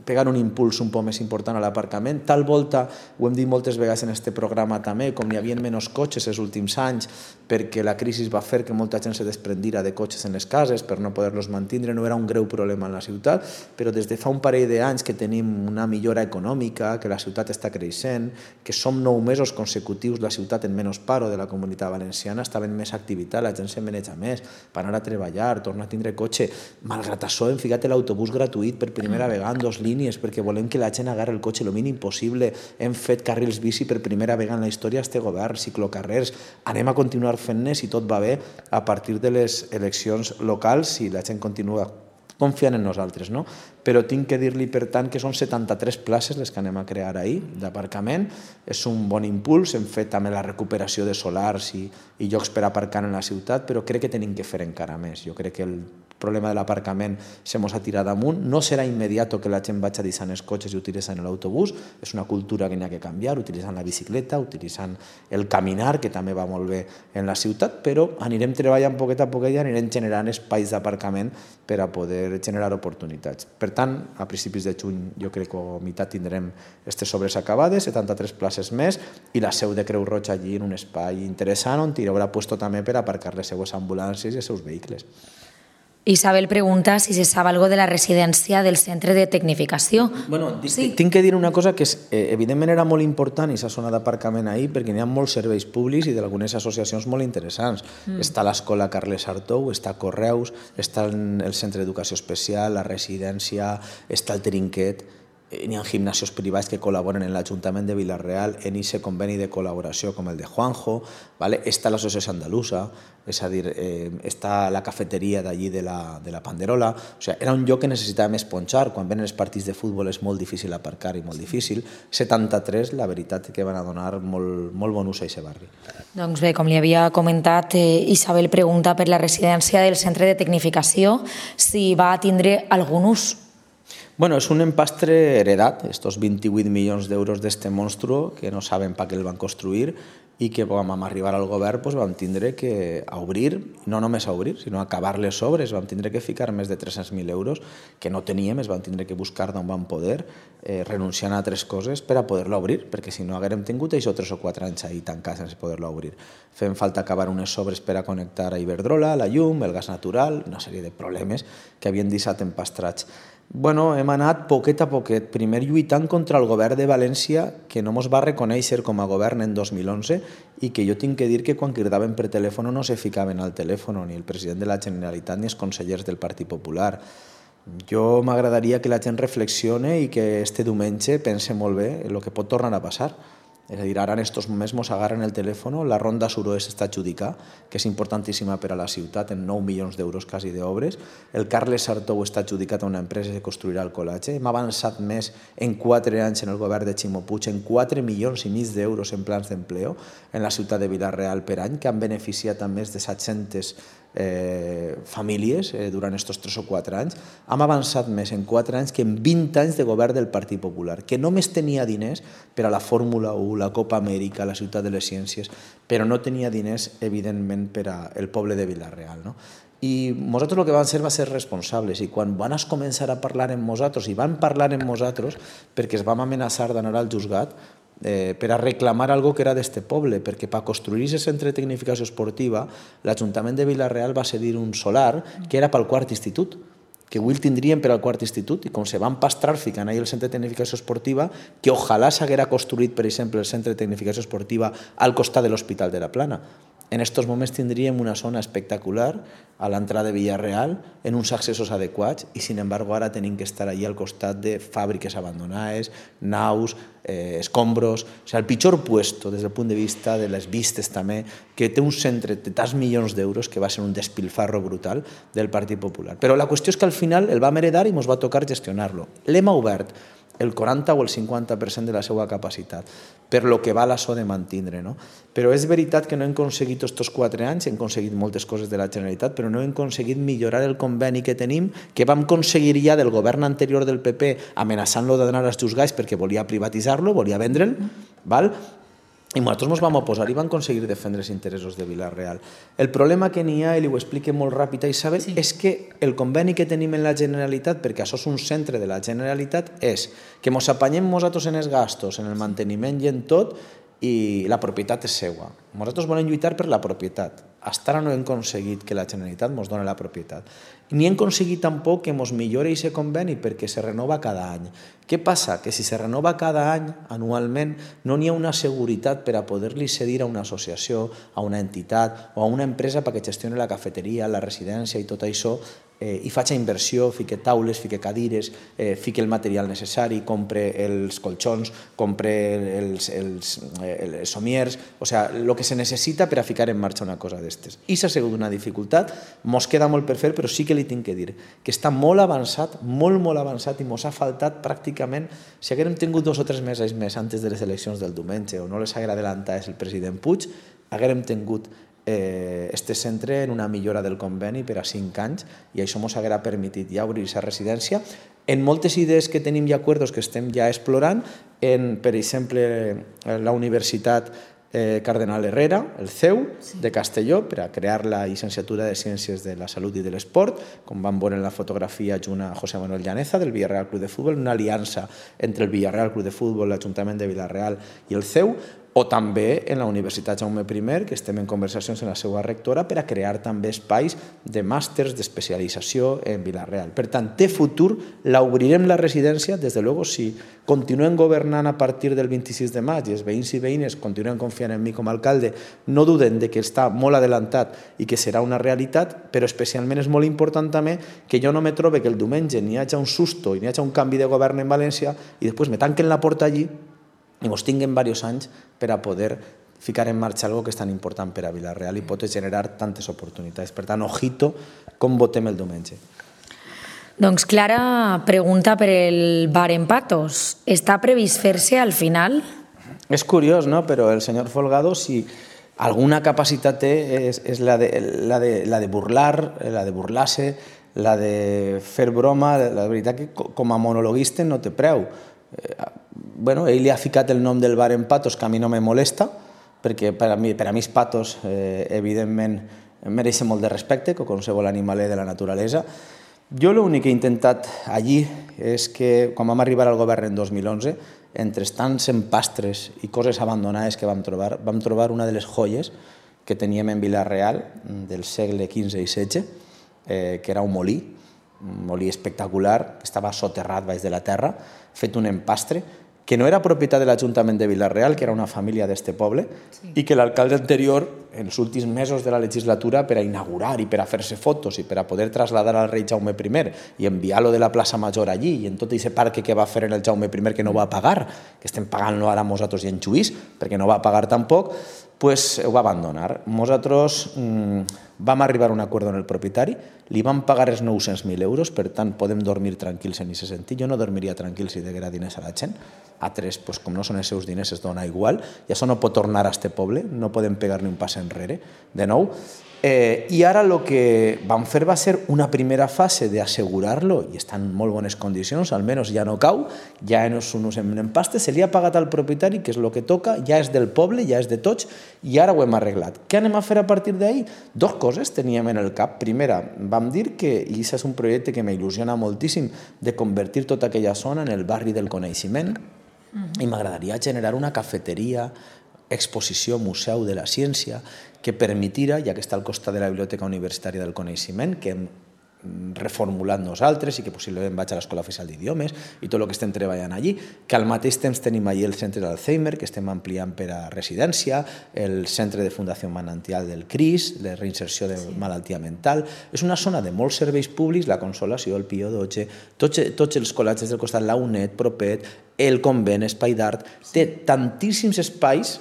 pegar un impuls un poc més important a l'aparcament. Tal volta, ho hem dit moltes vegades en aquest programa també, com hi havia menys cotxes els últims anys perquè la crisi va fer que molta gent se desprendira de cotxes en les cases per no poder-los mantindre, no era un greu problema en la ciutat, però des de fa un parell d'anys que tenim una millora econòmica, que la ciutat està creixent, que som 9 mesos consecutius la ciutat en menys paro de la Comunitat Valenciana, està havent més activitat, la gent se maneja més, per anar a treballar, tornar a tindre cotxe. Malgrat això hem ficat l'autobús gratuït per primera vegada en 2 línies, perquè volem que la gent agarri el cotxe el mínim possible. Hem fet carrils bici per primera vegada en la història d'este govern, ciclocarrers. Anem a continuar fent-ne, si tot va bé, a partir de les eleccions locals, si la gent continua confiant en nosaltres. Però tinc que dir-li, per tant, que són 73 places les que anem a crear ahir d'aparcament. És un bon impuls. Hem fet també la recuperació de solars i llocs per aparcar en la ciutat, però crec que tenim que fer encara més. Jo crec que el problema de l'aparcament se mos ha tirat damunt. No serà immediat que la gent vagi deixant els cotxes i utilitzant l'autobús. És una cultura que n'hi ha que canviar, utilitzant la bicicleta, utilitzant el caminar, que també va molt bé en la ciutat, però anirem treballant poquet a poquet i anirem generant espais d'aparcament per a poder generar oportunitats. Per tant, a principis de juny jo crec que a meitat tindrem aquestes obres acabades, 73 places més, i la seu de Creu Roja allí en un espai interessant on hi haurà puesto també per aparcar les seues ambulàncies i els seus vehicles. Isabel pregunta si se sabe algo de la residència del centre de tecnificació. Tinc que dir una cosa que evidentment era molt important i s'ha sonat d'aparcament ahir perquè n'hi ha molts serveis públics i d'algunes associacions molt interessants. Està l'escola Carles Sartou, està Correus, està el centre d'educació especial, la residència, està el Trinquet. N'hi ha gimnasios privats que col·laboren en l'Ajuntament de Vila-real en aquest conveni de col·laboració com el de Juanjo, està l'associació andalusa, és a dir, està la cafeteria d'allí de la Panderola. Era un lloc que necessitàvem esponjar. Quan venen els partits de futbol és molt difícil aparcar i molt difícil. 73, la veritat que van a donar molt bon ús a aquest barri. Doncs bé, com li havia comentat, Isabel pregunta per la residència del centre de tecnificació si va tindre algun ús. Bueno, es un empastre heredat, estos 28 milions d'euros d'este monstruo que no saben per què el van construir i que quan vam arribar al govern vam tindre que obrir, no només a obrir, sinó a acabar les obres, vam tindre que ficar més de 300.000 euros que no teníem, es vam tindre que buscar d'on vam poder, renunciant a altres coses per a poder-la obrir, perquè si no haguérem tingut això 3 o 4 anys ahí tancats sense poder-la obrir. Fem falta acabar unes obres per a connectar a Iberdrola, la llum, el gas natural, una sèrie de problemes que havien deixat empastrats. Bueno, hem anat poquet a poquet, primer lluitant contra el govern de València, que no mos va reconèixer com a govern en 2011 i que jo tinc que dir que quan cridaven per telèfon no se ficaven al telèfon, ni el president de la Generalitat ni els consellers del Partit Popular. Jo m'agradaria que la gent reflexione i que este diumenge pense molt bé el que pot tornar a passar. És a dir, ara en estos moments mos agarren el telèfon, la ronda suroest està adjudicada, que és importantíssima per a la ciutat, en 9 milions d'euros quasi d'obres. El Carles Sartou està adjudicat a una empresa que construirà el col·legi. Hem avançat més en 4 anys en el govern de Ximo Puig, en 4 milions i mig d'euros en plans d'empleo en la ciutat de Vila-real per any, que han beneficiat a més de 700 famílies durant aquests 3 o 4 anys. Hem avançat més en 4 anys que en 20 anys de govern del Partit Popular, que només tenia diners per a la Fórmula 1, la Copa Amèrica, la Ciutat de les Ciències, però no tenia diners, evidentment, per al poble de Vila-real. I nosaltres el que vam ser va ser responsables, i quan van començar a parlar amb nosaltres, i van parlar amb nosaltres perquè es vam amenaçar d'anar al juzgat per a reclamar algo que era d'este poble, perquè per construir aquest centre de tecnificació esportiva l'Ajuntament de Vila-real va cedir un solar que era pel quart institut, que avui el tindríem per al quart institut, i com se van pastrar ficant ahí el centre de tecnificació esportiva, que ojalà s'haguera construït, per exemple, el centre de tecnificació esportiva al costat de l'Hospital de la Plana. En aquests moments tindríem una zona espectacular a l'entrada de Vila-real, en uns accessos adequats, i sin embargo ara tenim que estar allí al costat de fàbriques abandonades, naus, escombros, o sigui, el pitjor puesto des del punt de vista de les vistes també, que té un centre de tants milions d'euros que va ser un despilfarro brutal del Partit Popular. Però la qüestió és que al final el vam heredar i ens va tocar gestionar-lo. L'hem obert el 40 o el 50% de la seva capacitat, per lo que val això de mantindre. Però és veritat que no hem aconseguit aquests 4 anys, hem aconseguit moltes coses de la Generalitat, però no hem aconseguit millorar el conveni que tenim, que vam aconseguir ja del govern anterior del PP, amenaçant-lo d'anar als juzgats perquè volia privatitzar-lo, volia vendre'l, i nosaltres ens vam oposar i vam aconseguir defendre els interessos de Vila-real. El problema que n'hi ha, i ho explique molt ràpid, Isabel, és que el conveni que tenim en la Generalitat, perquè això és un centre de la Generalitat, és que ens apanyem nosaltres en els gastos, en el manteniment i en tot, i la propietat és seva. Nosaltres volem lluitar per la propietat. Fins ara no hem aconseguit que la Generalitat ens doni la propietat. Ni hem aconseguit tampoc que ens millori aquest conveni perquè se renova cada any. Què passa? Que si se renova cada any, anualment, no n'hi ha una seguretat per a poder-li cedir a una associació, a una entitat o a una empresa perquè gestioni la cafeteria, la residència i tot això, i faig inversió, fique taules, fique cadires, fique el material necessari, compre els colxons, compre els somiers, o sigui, el que se necessita per a ficar en marxa una cosa d'estes. I s'ha sigut una dificultat, mos queda molt per fer, però sí que li tinc que dir que està molt avançat, molt avançat, i mos ha faltat pràcticament, si haguérem tingut 2 o 3 mesos més antes de les eleccions del diumenge o no les haguera adelantat el president Puig, haguérem tingut este centre en una millora del conveni per a 5 anys i això ens haguera permetit ja obrir aquesta residència en moltes idees que tenim i acords que estem ja explorant, per exemple la Universitat Cardenal Herrera, el CEU de Castelló, per a crear la llicenciatura de Ciències de la Salut i de l'Esport, com vam veure en la fotografia junt a José Manuel Llaneza del Villarreal Club de Futbol, una aliança entre el Villarreal Club de Futbol, l'Ajuntament de Vila-real i el CEU, o també en la Universitat Jaume I, que estem en conversacions amb la seva rectora per a crear també espais de màsters d'especialització en Vila-real. Per tant, té futur, l'obrirem la residència, des de luego, si continuem governant a partir del 26 de maig i els veïns i veïnes continuen confiant en mi com a alcalde, no duden de que està molt adelantat i que serà una realitat, però especialment és molt important també que jo no me trobe que el diumenge n'hi hagi un susto i n'hi hagi un canvi de govern en València i després me tanquen la porta allí i ens tinguem diversos anys per a poder ficar en marxa algo que és tan important per a Vila-real i pot generar tantes oportunitats. Per tant, ojito com votem el diumenge. Doncs Clara pregunta per el bar en Patos. Està previst fer-se al final? És curiós, no? Però el senyor Folgado, si alguna capacitat té, és la de burlar-se La de fer broma, la veritat que com a monologuista no té preu. Bueno, ell li ha ficat el nom del bar en Patos, que a mi no me molesta, perquè per a mi els patos, evidentment, mereixen molt de respecte, com qualsevol animalet de la naturalesa. Jo l'únic que he intentat allí és que, quan vam arribar al govern en 2011, entre tants empastres i coses abandonades que vam trobar una de les joies que teníem en Vila-real del segle XV i XVI, que era un molí espectacular, que estava soterrat baix de la terra, fet un empastre, que no era propietat de l'Ajuntament de Vila-real, que era una família d'este poble, i que l'alcalde anterior, en els últims mesos de la legislatura, per a inaugurar i per a fer-se fotos i per a poder traslladar al rei Jaume I i enviar-lo de la plaça Major allí, i en tot aquest parc que va fer en el Jaume I que no va pagar, que estem pagant-lo ara nosaltres i en Lluís, perquè no va pagar tampoc, pues ho va abandonar. Nosaltres vam arribar a un acord amb el propietari, li vam pagar els 900.000 euros, per tant podem dormir tranquils en aquest sentit. Jo no dormiria tranquil si deguera diners a la gent. Altres, com no són els seus diners, es dona igual, i això no pot tornar a este poble, no podem pegar ni un pas enrere, de nou. I ara el que vam fer va ser una primera fase d'assegurar-lo, i està en molt bones condicions, almenys ja no cau, ja no és un empastre, se li ha pagat al propietari, que és el que toca, ja és del poble, ja és de tots, i ara ho hem arreglat. Què anem a fer a partir d'ahir? Dos coses teníem en el cap. Primera, vam dir que, i això és un projecte que m'il·lusiona moltíssim, de convertir tota aquella zona en el barri del coneixement, i m'agradaria generar una cafeteria, exposició, museu de la ciència, que permetira, ja que està al costat de la Biblioteca Universitària del Coneixement, que hem reformulat nosaltres i que possiblement vaig a l'Escola Oficial d'Idiomes i tot el que estem treballant allí, que al mateix temps tenim allí el centre d'Alzheimer, que estem ampliant per a residència, el centre de Fundació Manantial del CRIS, de reinserció de malaltia mental. És una zona de molts serveis públics, la Consolació, el Pio XII, tots els col·legis del costat, la UNED, Propet, el convent, Espai d'Art, té tantíssims espais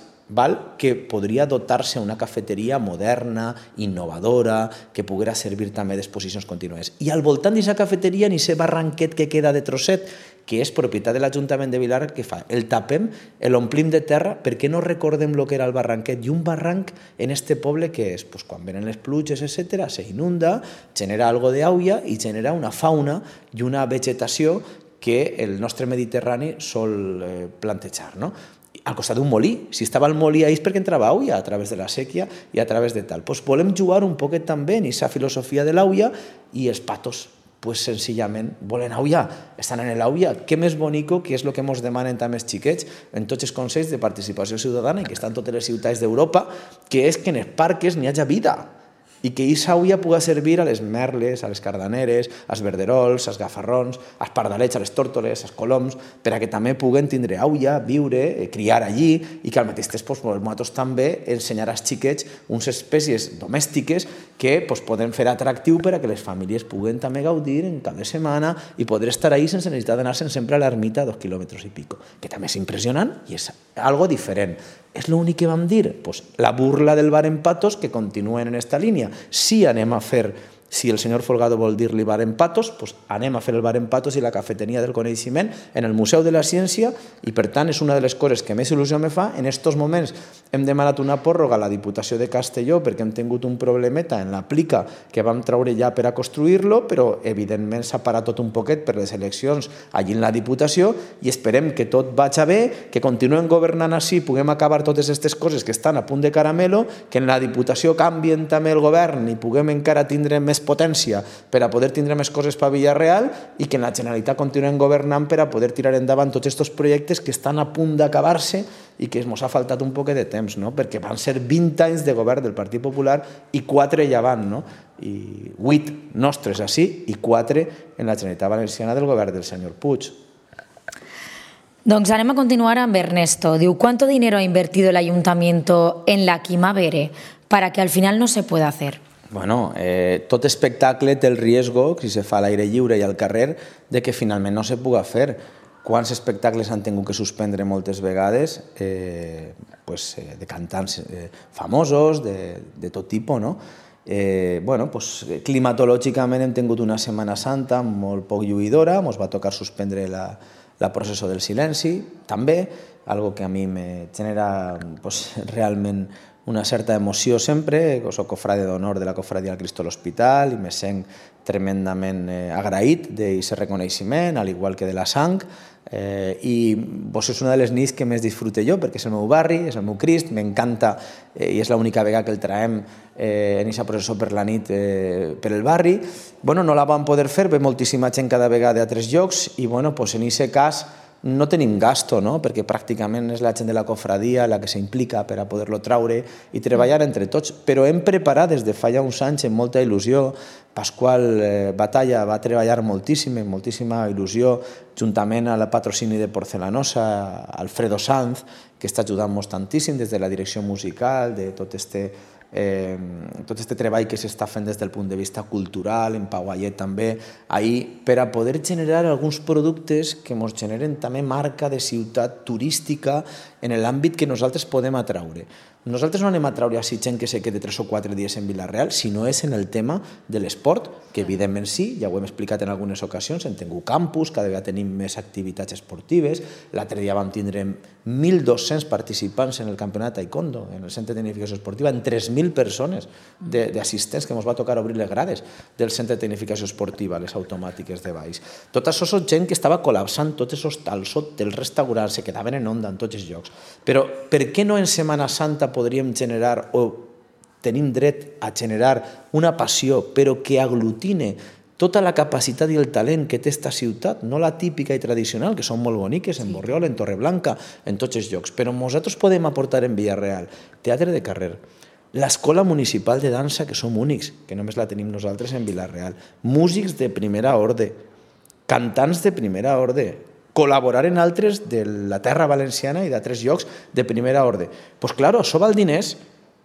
que podria dotar-se una cafeteria moderna, innovadora, que poguera servir també d'exposicions contínues. I al voltant d'aquesta cafeteria, en aquest barranquet que queda de trosset, que és propietat de l'Ajuntament de Vilar, què fa? El tapem, l'omplim de terra, perquè no recordem el que era el barranquet. I un barranc en este poble que és, quan venen les pluges, etc., se inunda, genera algo d'aigua i genera una fauna i una vegetació que el nostre Mediterrani sol plantejar, no? Al costat d'un molí. Si estava el molí ahí és perquè entrava aigua a través de la sèquia i a través de tal. Volem jugar un poquet també en aquesta filosofia de l'aigua i els patos, senzillament, volen aigua, estan en l'aigua. Què més bonico, que és el que ens demanen també els xiquets en tots els consells de participació ciutadana i que estan en totes les ciutats d'Europa, que és que en els parques n'hi hagi vida i que aquesta aigua pugui servir a les merles, a les cardaneres, als verderols, als gafarrons, als pardalets, a les tórtoles, als coloms, per a que també puguen tindre aigua, viure, criar allí, i que al mateix temps nosaltres també ensenyar als xiquets unes espècies domèstiques que poden fer atractiu per a que les famílies puguen també gaudir en cap de setmana i poder estar ahí sense necessitat d'anar-se'n sempre a l'ermita a 2 quilòmetres i pico, que també és impressionant i és algo diferent. És l'únic que vam dir? La burla del bar en Patos, que continuen en aquesta línia. Si anem a fer, si el senyor Folgado vol dir-li bar en Patos, anem a fer el bar en Patos i la cafeteria del coneixement en el Museu de la Ciència i, per tant, és una de les coses que més il·lusió me fa. En aquests moments hem demanat una pròrroga a la Diputació de Castelló perquè hem tingut un problemeta en la plica que vam treure ja per a construir-lo, però, evidentment, s'ha parat tot un poquet per les eleccions allí en la Diputació i esperem que tot vagi bé, que continuem governant així, puguem acabar totes aquestes coses que estan a punt de caramelo, que en la Diputació canvien també el govern i puguem encara tindre més potència per a poder tindre més coses per Vila-real i que en la Generalitat continuem governant per a poder tirar endavant tots aquests projectes que estan a punt d'acabar-se i que ens ha faltat un poc de temps, no? Perquè van ser 20 anys de govern del Partit Popular i 4 ja van, no? I 8 nostres així i 4 en la Generalitat Valenciana del govern del senyor Puig. Doncs anem a continuar amb Ernesto. Diu, ¿cuánto dinero ha invertido el ayuntamiento en la Quimavere para que al final no se pueda hacer? Bueno, tot espectacle té el riesgo, si se fa a l'aire lliure i al carrer, de que finalment no se puga fer. Quants espectacles han tingut que suspendre moltes vegades de cantants famosos, de tot tipus, no? Climatològicament hem tingut una Setmana Santa molt poc lluïdora, ens va tocar suspendre la processó del silenci, també, algo que a mi me genera realment una certa emoció sempre. Soc cofrade d'honor de la cofradia del Cristo a l'Hospital i me sent tremendament agraït d'aquest reconeixement, al igual que de la sang, i és una de les nits que més disfrute jo, perquè és el meu barri, és el meu Crist, m'encanta i és l'única vegada que el traiem en aquesta processó per la nit per el barri. No la vam poder fer, ve moltíssima gent cada vegada a altres llocs i en aquest cas no tenim gasto, perquè pràcticament és la gent de la cofradia la que s'implica per a poder-lo traure i treballar entre tots, però hem preparat des de fa ja uns anys amb molta il·lusió. Pasqual Batalla va treballar moltíssim, amb moltíssima il·lusió, juntament al patrocini de Porcelanosa, Alfredo Sanz, que està ajudant-nos tantíssim des de la direcció musical, de tot este treball que s'està fent des del punt de vista cultural, en Pau Ayet també, per a poder generar alguns productes que ens generen també marca de ciutat turística en l'àmbit que nosaltres podem atraure. Nosaltres no anem a traure així gent que se quede 3 o 4 dies en Vila-real, sinó és en el tema de l'esport, que evidentment sí, ja ho hem explicat en algunes ocasions, hem tingut campus, cada vegada tenim més activitats esportives, l'altre dia vam tindre 1.200 participants en el campionat taekwondo, en el centre de tecnificació esportiva, en 3.000 persones d'assistents que ens va tocar obrir les grades del centre de tecnificació esportiva, les automàtiques de baix. Tot això és gent que estava col·lapsant tots els hostals, hotels, restaurants, se quedaven en onda en tots els llocs. Però per què no en Setmana Santa podríem generar o tenim dret a generar una passió però que aglutine tota la capacitat i el talent que té aquesta ciutat, no la típica i tradicional, que són molt boniques, en Borriol, en Torreblanca, en tots els llocs, però nosaltres podem aportar en Vila-real teatre de carrer, l'escola municipal de dansa, que som únics, que només la tenim nosaltres en Vila-real, músics de primera ordre, cantants de primera ordre, col·laborar en altres de la terra valenciana i d'altres llocs de primera ordre. Doncs clar, això val diners,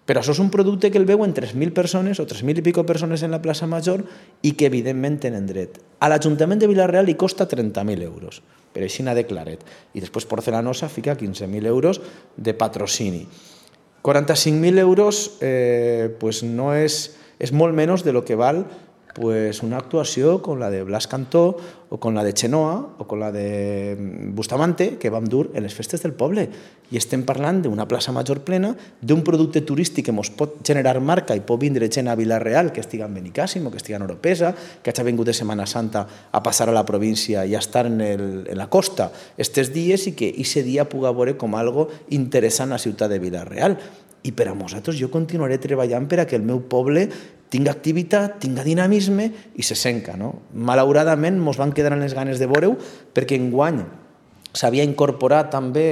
però això és un producte que el veuen 3.000 persones o 3.000 i pico persones en la plaça Major i que evidentment tenen dret. A l'Ajuntament de Vila-real li costa 30.000 euros, per així n'ha declarat. I després Porcelanosa fica 15.000 euros de patrocini. 45.000 euros no és molt menys de lo que val una actuació com la de Blas Cantó o com la de Chenoa o com la de Bustamante que vam dur en les festes del poble. I estem parlant d'una plaça Major plena, d'un producte turístic que ens pot generar marca i pot vindre gent a Vila-real que estiga en Benicàssim o que estiga en Oropesa, que hagi vingut de Setmana Santa a passar a la província i a estar en la costa estes dies i que aquest dia pugui veure com algo interessant a la ciutat de Vila-real. I per a nosaltres jo continuaré treballant per a que el meu poble tinga activitat, tinga dinamisme i se senca. Malauradament ens van quedar les ganes de veure-ho perquè enguany s'havia incorporat també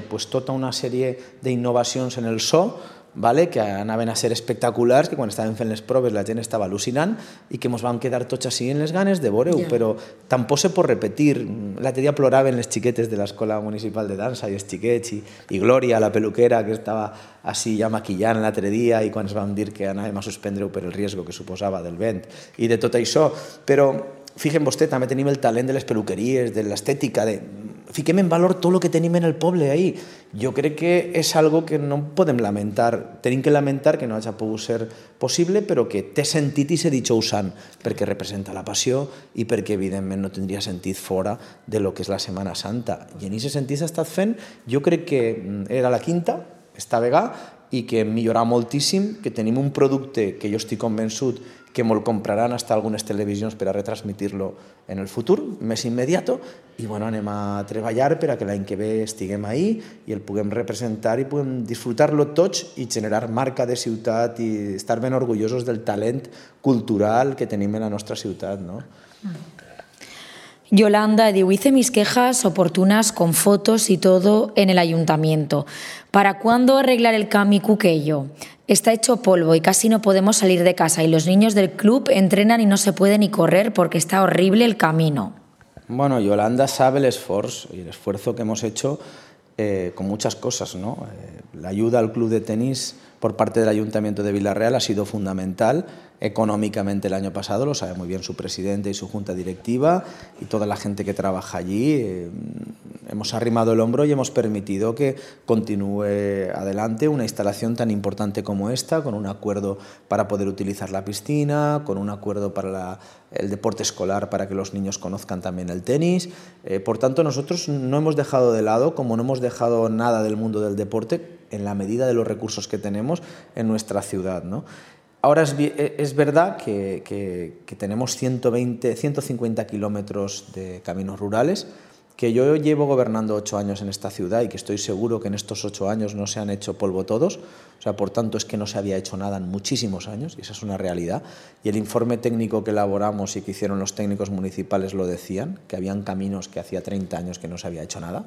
tota una sèrie d'innovacions en el so que anaven a ser espectaculars, que quan estàvem fent les proves la gent estava al·lucinant i que ens vam quedar tots així en les ganes de veure-ho, però tampoc se pot repetir. L'altre dia ploraven les xiquetes de l'Escola Municipal de Dansa i els xiquets i Glòria, la peluquera, que estava així ja maquillant l'altre dia i quan ens vam dir que anàvem a suspendre-ho per el risc que suposava del vent i de tot això. Però fixen vostè, també tenim el talent de les peluqueries, de l'estètica, fiquem en valor tot el que tenim en el poble ahí. Jo crec que és algo que no podem lamentar. Tenim que lamentar que no hagi pogut ser possible, però que té sentit i ser dijous-sant, perquè representa la passió i perquè, evidentment, no tindria sentit fora de lo que és la Setmana Santa. I en aquest sentit s'ha estat fent, jo crec que era la quinta, esta vegada, i que hem millorat moltíssim, que tenim un producte que jo estic convençut que me'l compraran hasta algunes televisions per a retransmitir-lo en el futur, més immediat, i anem a treballar per a que l'any que ve estiguem ahí i el puguem representar i puguem disfrutar-lo tots i generar marca de ciutat i estar ben orgullosos del talent cultural que tenim en la nostra ciutat. Yolanda diu, hice mis quejas oportunas con fotos y todo en el ayuntamiento. ¿Para cuándo arreglar el Cami Cuquello? Está hecho polvo y casi no podemos salir de casa y los niños del club entrenan y no se puede ni correr porque está horrible el camino. Bueno, Yolanda sabe el esfuerzo y el esfuerzo que hemos hecho con muchas cosas, La ayuda al club de tenis por parte del Ayuntamiento de Vila-real ha sido fundamental económicamente el año pasado, lo sabe muy bien su presidente y su junta directiva y toda la gente que trabaja allí. Hemos arrimado el hombro y hemos permitido que continúe adelante una instalación tan importante como esta, con un acuerdo para poder utilizar la piscina, con un acuerdo para el deporte escolar para que los niños conozcan también el tenis. Por tanto, nosotros no hemos dejado de lado, como no hemos dejado nada del mundo del deporte, en la medida de los recursos que tenemos en nuestra ciudad, Ahora es verdad que tenemos 150 kilómetros de caminos rurales, que yo llevo gobernando 8 años en esta ciudad y que estoy seguro que en estos 8 años no se han hecho polvo todos, o sea, por tanto es que no se había hecho nada en muchísimos años y esa es una realidad. Y el informe técnico que elaboramos y que hicieron los técnicos municipales lo decían, que habían caminos que hacía 30 años que no se había hecho nada,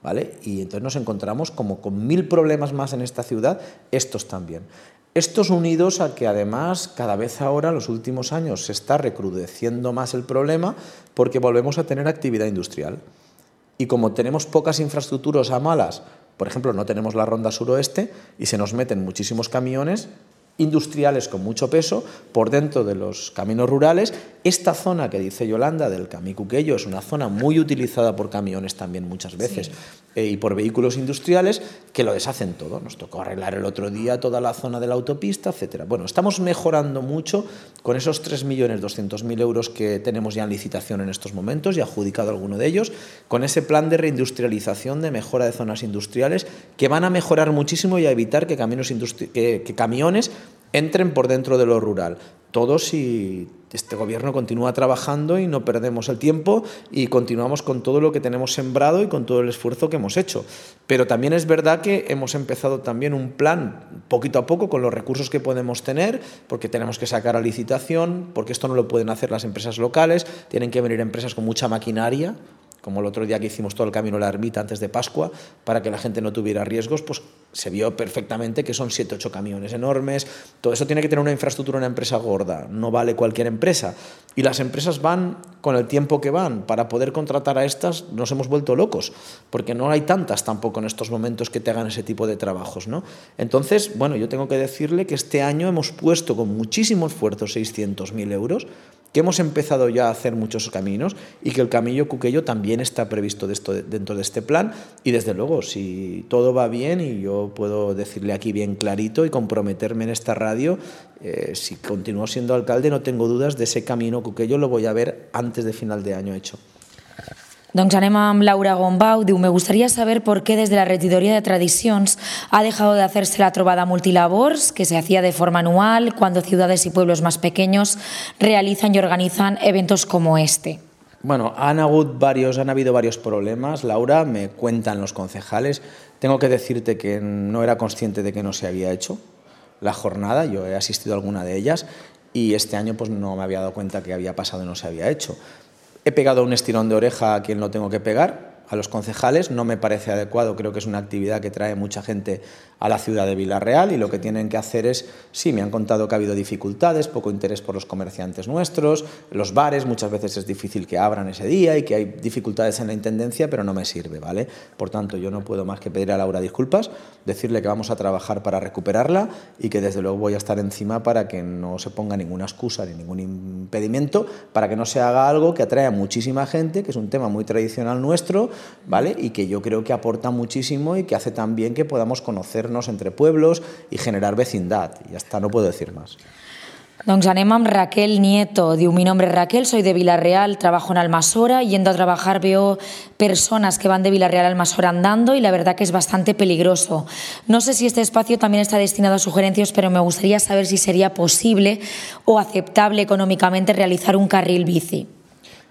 ¿vale? Y entonces nos encontramos como con 1000 problemas más en esta ciudad, estos también. Estos unidos a que además cada vez ahora, en los últimos años, se está recrudeciendo más el problema porque volvemos a tener actividad industrial. Y como tenemos pocas infraestructuras a malas, por ejemplo, no tenemos la ronda suroeste y se nos meten muchísimos camiones industriales con mucho peso por dentro de los caminos rurales. Esta zona que dice Yolanda del Camí Cuquello es una zona muy utilizada por camiones también muchas veces, y por vehículos industriales que lo deshacen todo. Nos tocó arreglar el otro día toda la zona de la autopista, etcétera. Bueno, estamos mejorando mucho con esos 3.200.000 euros que tenemos ya en licitación en estos momentos y adjudicado alguno de ellos, con ese plan de reindustrialización, de mejora de zonas industriales que van a mejorar muchísimo y a evitar que camiones entren por dentro de lo rural. Todo si este gobierno continúa trabajando y no perdemos el tiempo y continuamos con todo lo que tenemos sembrado y con todo el esfuerzo que hemos hecho. Pero también es verdad que hemos empezado también un plan poquito a poco con los recursos que podemos tener, porque tenemos que sacar a licitación, porque esto no lo pueden hacer las empresas locales, tienen que venir empresas con mucha maquinaria, como el otro día que hicimos todo el camino a la ermita antes de Pascua, para que la gente no tuviera riesgos, pues se vio perfectamente que son 7 o 8 camiones enormes. Todo eso tiene que tener una infraestructura, una empresa gorda, no vale cualquier empresa. Y las empresas van con el tiempo que van. Para poder contratar a estas nos hemos vuelto locos, porque no hay tantas tampoco en estos momentos que te hagan ese tipo de trabajos, ¿no? Entonces, bueno, yo tengo que decirle que este año hemos puesto con muchísimo esfuerzo 600.000 euros, que hemos empezado ya a hacer muchos caminos y que el Camí Cuquello también está previsto dentro de este plan. Y desde luego, si todo va bien, y yo puedo decirle aquí bien clarito y comprometerme en esta radio, si continúo siendo alcalde, no tengo dudas de ese Camí Cuquello, lo voy a ver antes de final de año hecho. Doncs anem amb Laura Gombau. Diu, me gustaría saber por qué desde la regidoría de tradicions ha dejado de hacerse la trobada multilabors, que se hacía de forma anual cuando ciudades y pueblos más pequeños realizan y organizan eventos como este. Bueno, han habido varios problemas. Laura, me cuentan los concejales. Tengo que decirte que no era consciente de que no se había hecho la jornada. Yo he asistido a alguna de ellas y este año pues no me había dado cuenta que había pasado y no se había hecho. He pegado un estirón de oreja a quien lo tengo que pegar, a los concejales. No me parece adecuado, creo que es una actividad que trae mucha gente a la ciudad de Vila-real y lo que tienen que hacer es, sí, me han contado que ha habido dificultades, poco interés por los comerciantes nuestros, los bares muchas veces es difícil que abran ese día y que hay dificultades en la intendencia, pero no me sirve, ¿vale? Por tanto, yo no puedo más que pedir a Laura disculpas, decirle que vamos a trabajar para recuperarla y que desde luego voy a estar encima para que no se ponga ninguna excusa ni ningún impedimento, para que no se haga algo que atrae a muchísima gente, que es un tema muy tradicional nuestro, ¿vale? Y que yo creo que aporta muchísimo y que hace también que podamos conocernos entre pueblos y generar vecindad. Y ya está, no puedo decir más. Doncs anem amb Raquel Nieto. Diu, mi nombre es Raquel, soy de Vila-real, trabajo en Almasora. Yendo a trabajar veo personas que van de Vila-real a Almasora andando y la verdad que es bastante peligroso. No sé si este espacio también está destinado a sugerencias, pero me gustaría saber si sería posible o aceptable económicamente realizar un carril bici.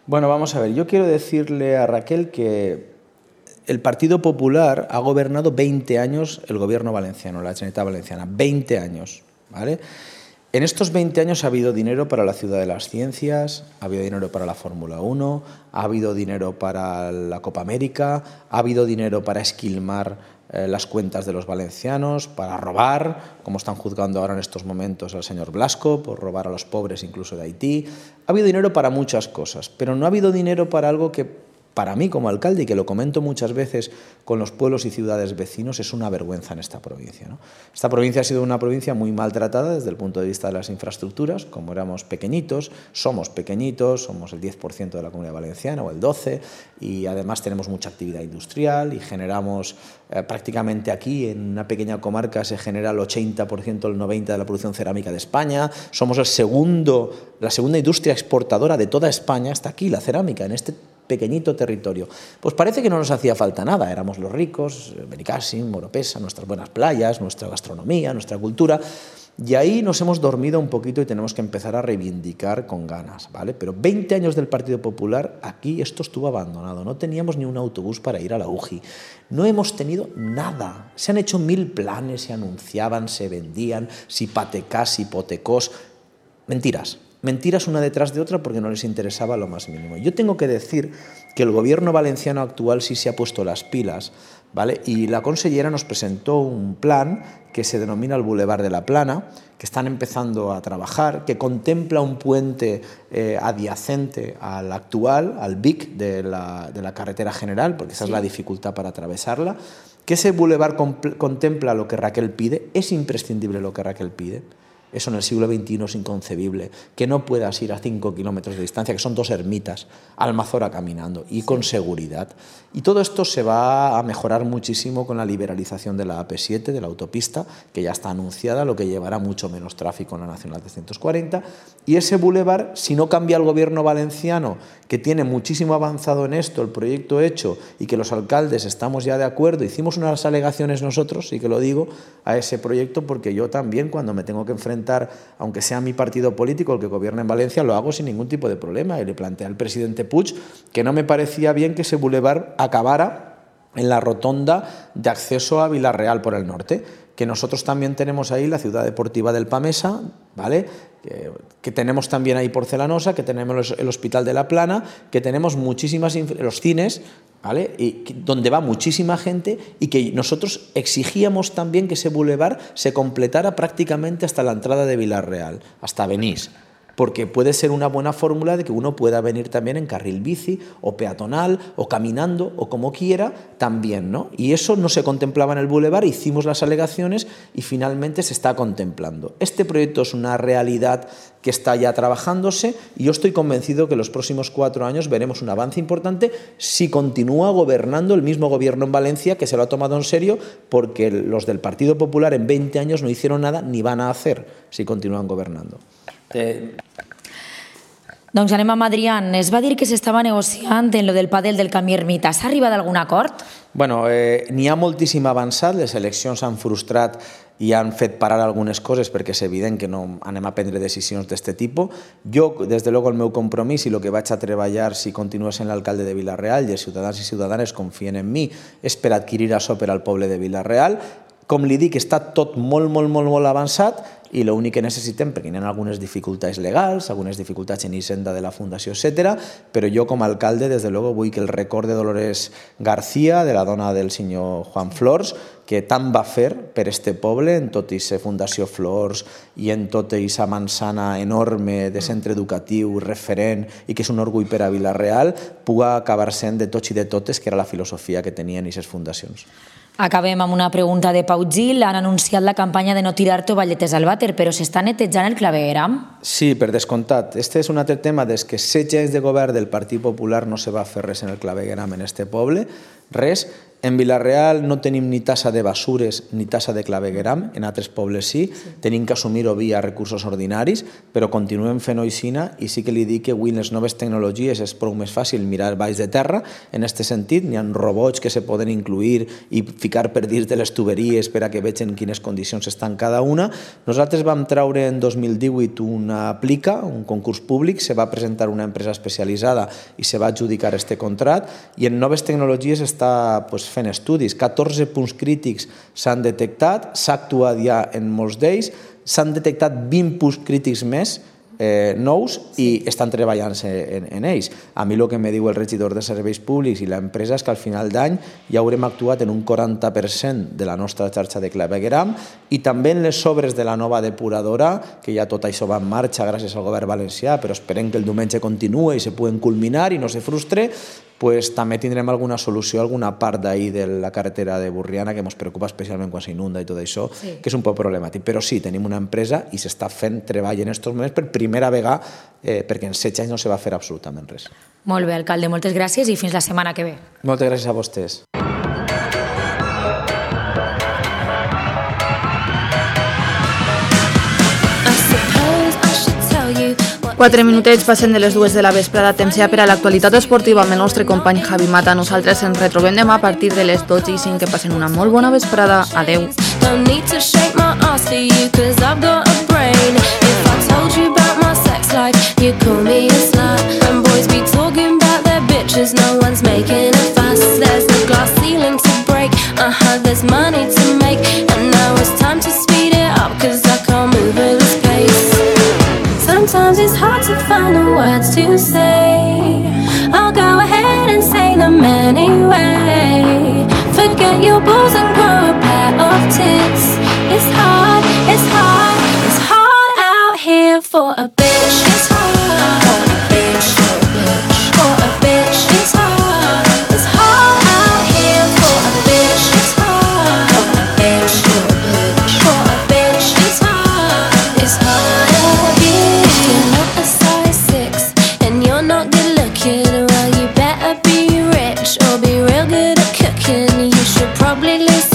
Bueno, vamos a ver, yo quiero decirle a Raquel que el Partido Popular ha gobernado 20 años el gobierno valenciano, la Generalitat Valenciana, 20 años, ¿vale? En estos 20 años ha habido dinero para la Ciudad de las Ciencias, ha habido dinero para la Fórmula 1, ha habido dinero para la Copa América, ha habido dinero para esquilmar las cuentas de los valencianos, para robar, como están juzgando ahora en estos momentos al señor Blasco, por robar a los pobres incluso de Haití. Ha habido dinero para muchas cosas, pero no ha habido dinero para algo que para mí como alcalde, y que lo comento muchas veces con los pueblos y ciudades vecinos, es una vergüenza en esta provincia, ¿no? Esta provincia ha sido una provincia muy maltratada desde el punto de vista de las infraestructuras. Como éramos pequeñitos, somos el 10% de la Comunidad Valenciana o el 12%, y además tenemos mucha actividad industrial y generamos prácticamente aquí, en una pequeña comarca, se genera el 80%, el 90% de la producción cerámica de España. Somos la segunda industria exportadora de toda España, está aquí la cerámica, en este pequeñito territorio. Pues parece que no nos hacía falta nada, éramos los ricos, Benicàssim, Oropesa, nuestras buenas playas, nuestra gastronomía, nuestra cultura. Y ahí nos hemos dormido un poquito y tenemos que empezar a reivindicar con ganas, ¿vale? Pero 20 años del Partido Popular, aquí esto estuvo abandonado. No teníamos ni un autobús para ir a la UGI. No hemos tenido nada. Se han hecho 1000 planes, se anunciaban, se vendían, si patecás, si hipotecós. Mentiras. Mentiras una detrás de otra porque no les interesaba lo más mínimo. Yo tengo que decir que el gobierno valenciano actual sí se ha puesto las pilas, ¿vale? Y la consellera nos presentó un plan que se denomina el Boulevard de la Plana, que están empezando a trabajar, que contempla un puente adyacente al actual, al BIC de la carretera general, porque esa es la dificultad para atravesarla, que ese boulevard contempla lo que Raquel pide, es imprescindible lo que Raquel pide. Eso en el siglo XXI es inconcebible, que no puedas ir a 5 kilómetros de distancia, que son 2 ermitas, a Almazora caminando y con seguridad. Y todo esto se va a mejorar muchísimo con la liberalización de la AP7, de la autopista, que ya está anunciada, lo que llevará mucho menos tráfico en la Nacional 340. Y ese bulevar, si no cambia el gobierno valenciano, que tiene muchísimo avanzado en esto, el proyecto hecho, y que los alcaldes estamos ya de acuerdo, hicimos unas alegaciones nosotros, sí que lo digo, a ese proyecto, porque yo también cuando me tengo que enfrentar, aunque sea mi partido político el que gobierna en Valencia, lo hago sin ningún tipo de problema. Y le planteé al presidente Puig que no me parecía bien que ese bulevar acabara en la rotonda de acceso a Vila-real por el norte, que nosotros también tenemos ahí la ciudad deportiva del Pamesa, ¿vale? Que tenemos también ahí Porcelanosa, que tenemos el Hospital de la Plana, que tenemos muchísimas, los cines, ¿vale? Y donde va muchísima gente, y que nosotros exigíamos también que ese bulevar se completara prácticamente hasta la entrada de Vila-real, hasta Benís, porque puede ser una buena fórmula de que uno pueda venir también en carril bici o peatonal o caminando o como quiera también, ¿no? Y eso no se contemplaba en el bulevar, hicimos las alegaciones y finalmente se está contemplando. Este proyecto es una realidad que está ya trabajándose y yo estoy convencido que en los próximos 4 años veremos un avance importante si continúa gobernando el mismo gobierno en Valencia, que se lo ha tomado en serio, porque los del Partido Popular en 20 años no hicieron nada ni van a hacer si continúan gobernando. Doncs anem amb Adrián. Es va dir que s'estava negociant en lo del pàdel del Camí Ermita. S'ha arribat a algun acord? Bueno, n'hi ha moltíssim avançat, les eleccions s'han frustrat i han fet parar algunes coses perquè és evident que no anem a prendre decisions d'aquest tipus. Jo, des de luego, el meu compromís i el que vaig a treballar si continuo sent l'alcalde de Vila-real i els ciutadans i ciutadanes confien en mi és per adquirir això per al poble de Vila-real. Com li dic, està tot molt avançat i l'únic que necessitem, perquè hi ha algunes dificultats legals, algunes dificultats en Hisenda de la Fundació, etc., però jo com a alcalde, des de luego, vull que el record de Dolores García, de la dona del senyor Juan Flors, que tant va fer per este poble, en tot aquesta Fundació Flors i en tota aquesta manzana enorme de centre educatiu, referent, i que és un orgull per a Vila-real, puga acabar sent de tots i de totes, que era la filosofia que tenien aquestes fundacions. Acabem amb una pregunta de Pau Gil. Han anunciat la campanya de no tirar tovalletes al vàter, però s'està netejant el clavegueram? Sí, per descomptat. Este és un altre tema des que 16 anys de govern del Partit Popular no se va fer res en el clavegueram en este poble, res. En Vila-real no tenim ni tassa de basures ni tassa de clavegueram, en altres pobles sí, tenim que assumir-ho via recursos ordinaris, però continuem fent oicina i sí que li dic que avui en les noves tecnologies és prou més fàcil mirar baix de terra, en aquest sentit n'hi ha robots que se poden incluir i ficar per dins de les tuberies per a que vegin quines condicions estan cada una. Nosaltres vam treure en 2018 una aplica, un concurs públic, se va presentar una empresa especialitzada i se va adjudicar este contrat, i en noves tecnologies està fent estudis. 14 punts crítics s'han detectat, s'ha actuat ja en molts d'ells, s'han detectat 20 punts crítics més nous i estan treballant en ells. A mi el que me diu el regidor de Serveis Públics i l'empresa és que al final d'any ja haurem actuat en un 40% de la nostra xarxa de clavegueram i també en les obres de la nova depuradora, que ja tot això va en marxa gràcies al govern valencià, però esperem que el diumenge continue i se puguen culminar i no se frustre, pues també tindrem alguna solució, alguna part d'ahir de la carretera de Burriana que ens preocupa especialment quan s'inunda i tot això, que és un poc problemàtic. Però sí, tenim una empresa i s'està fent treball en aquests moments per primera vegada, perquè en 16 anys no se va fer absolutament res. Molt bé, alcalde, moltes gràcies i fins la setmana que ve. Moltes gràcies a vostès. Quatre minutets passen de les 2 de la vesprada, temps ja per a l'actualitat esportiva amb el nostre company Javi Mata. Nosaltres ens retrobem demà a partir de les 12:05. Que passen una molt bona vesprada. Adeu. No need to shake my ass for you, cause I've got a brain. If I told you about my sex life, you'd call me a slut. And boys be talking about their bitches, no one's making a fuss. There's a glass ceiling to break, there's money to make. And now it's time to speed it up, cause I can't move at this pace. Sometimes it's hard to find the words to say. I'll go ahead and say them anyway. Forget your balls and grow a pair of tits. It's hard, it's hard, it's hard out here for a bitch. It's hard for a bitch, for a bitch. It's hard, it's hard out here for a bitch. It's hard for a bitch, for a bitch. It's hard, it's hard out here. You're not a size 6 and you're not good looking. Well, you better be rich or be real good at cooking. You should probably listen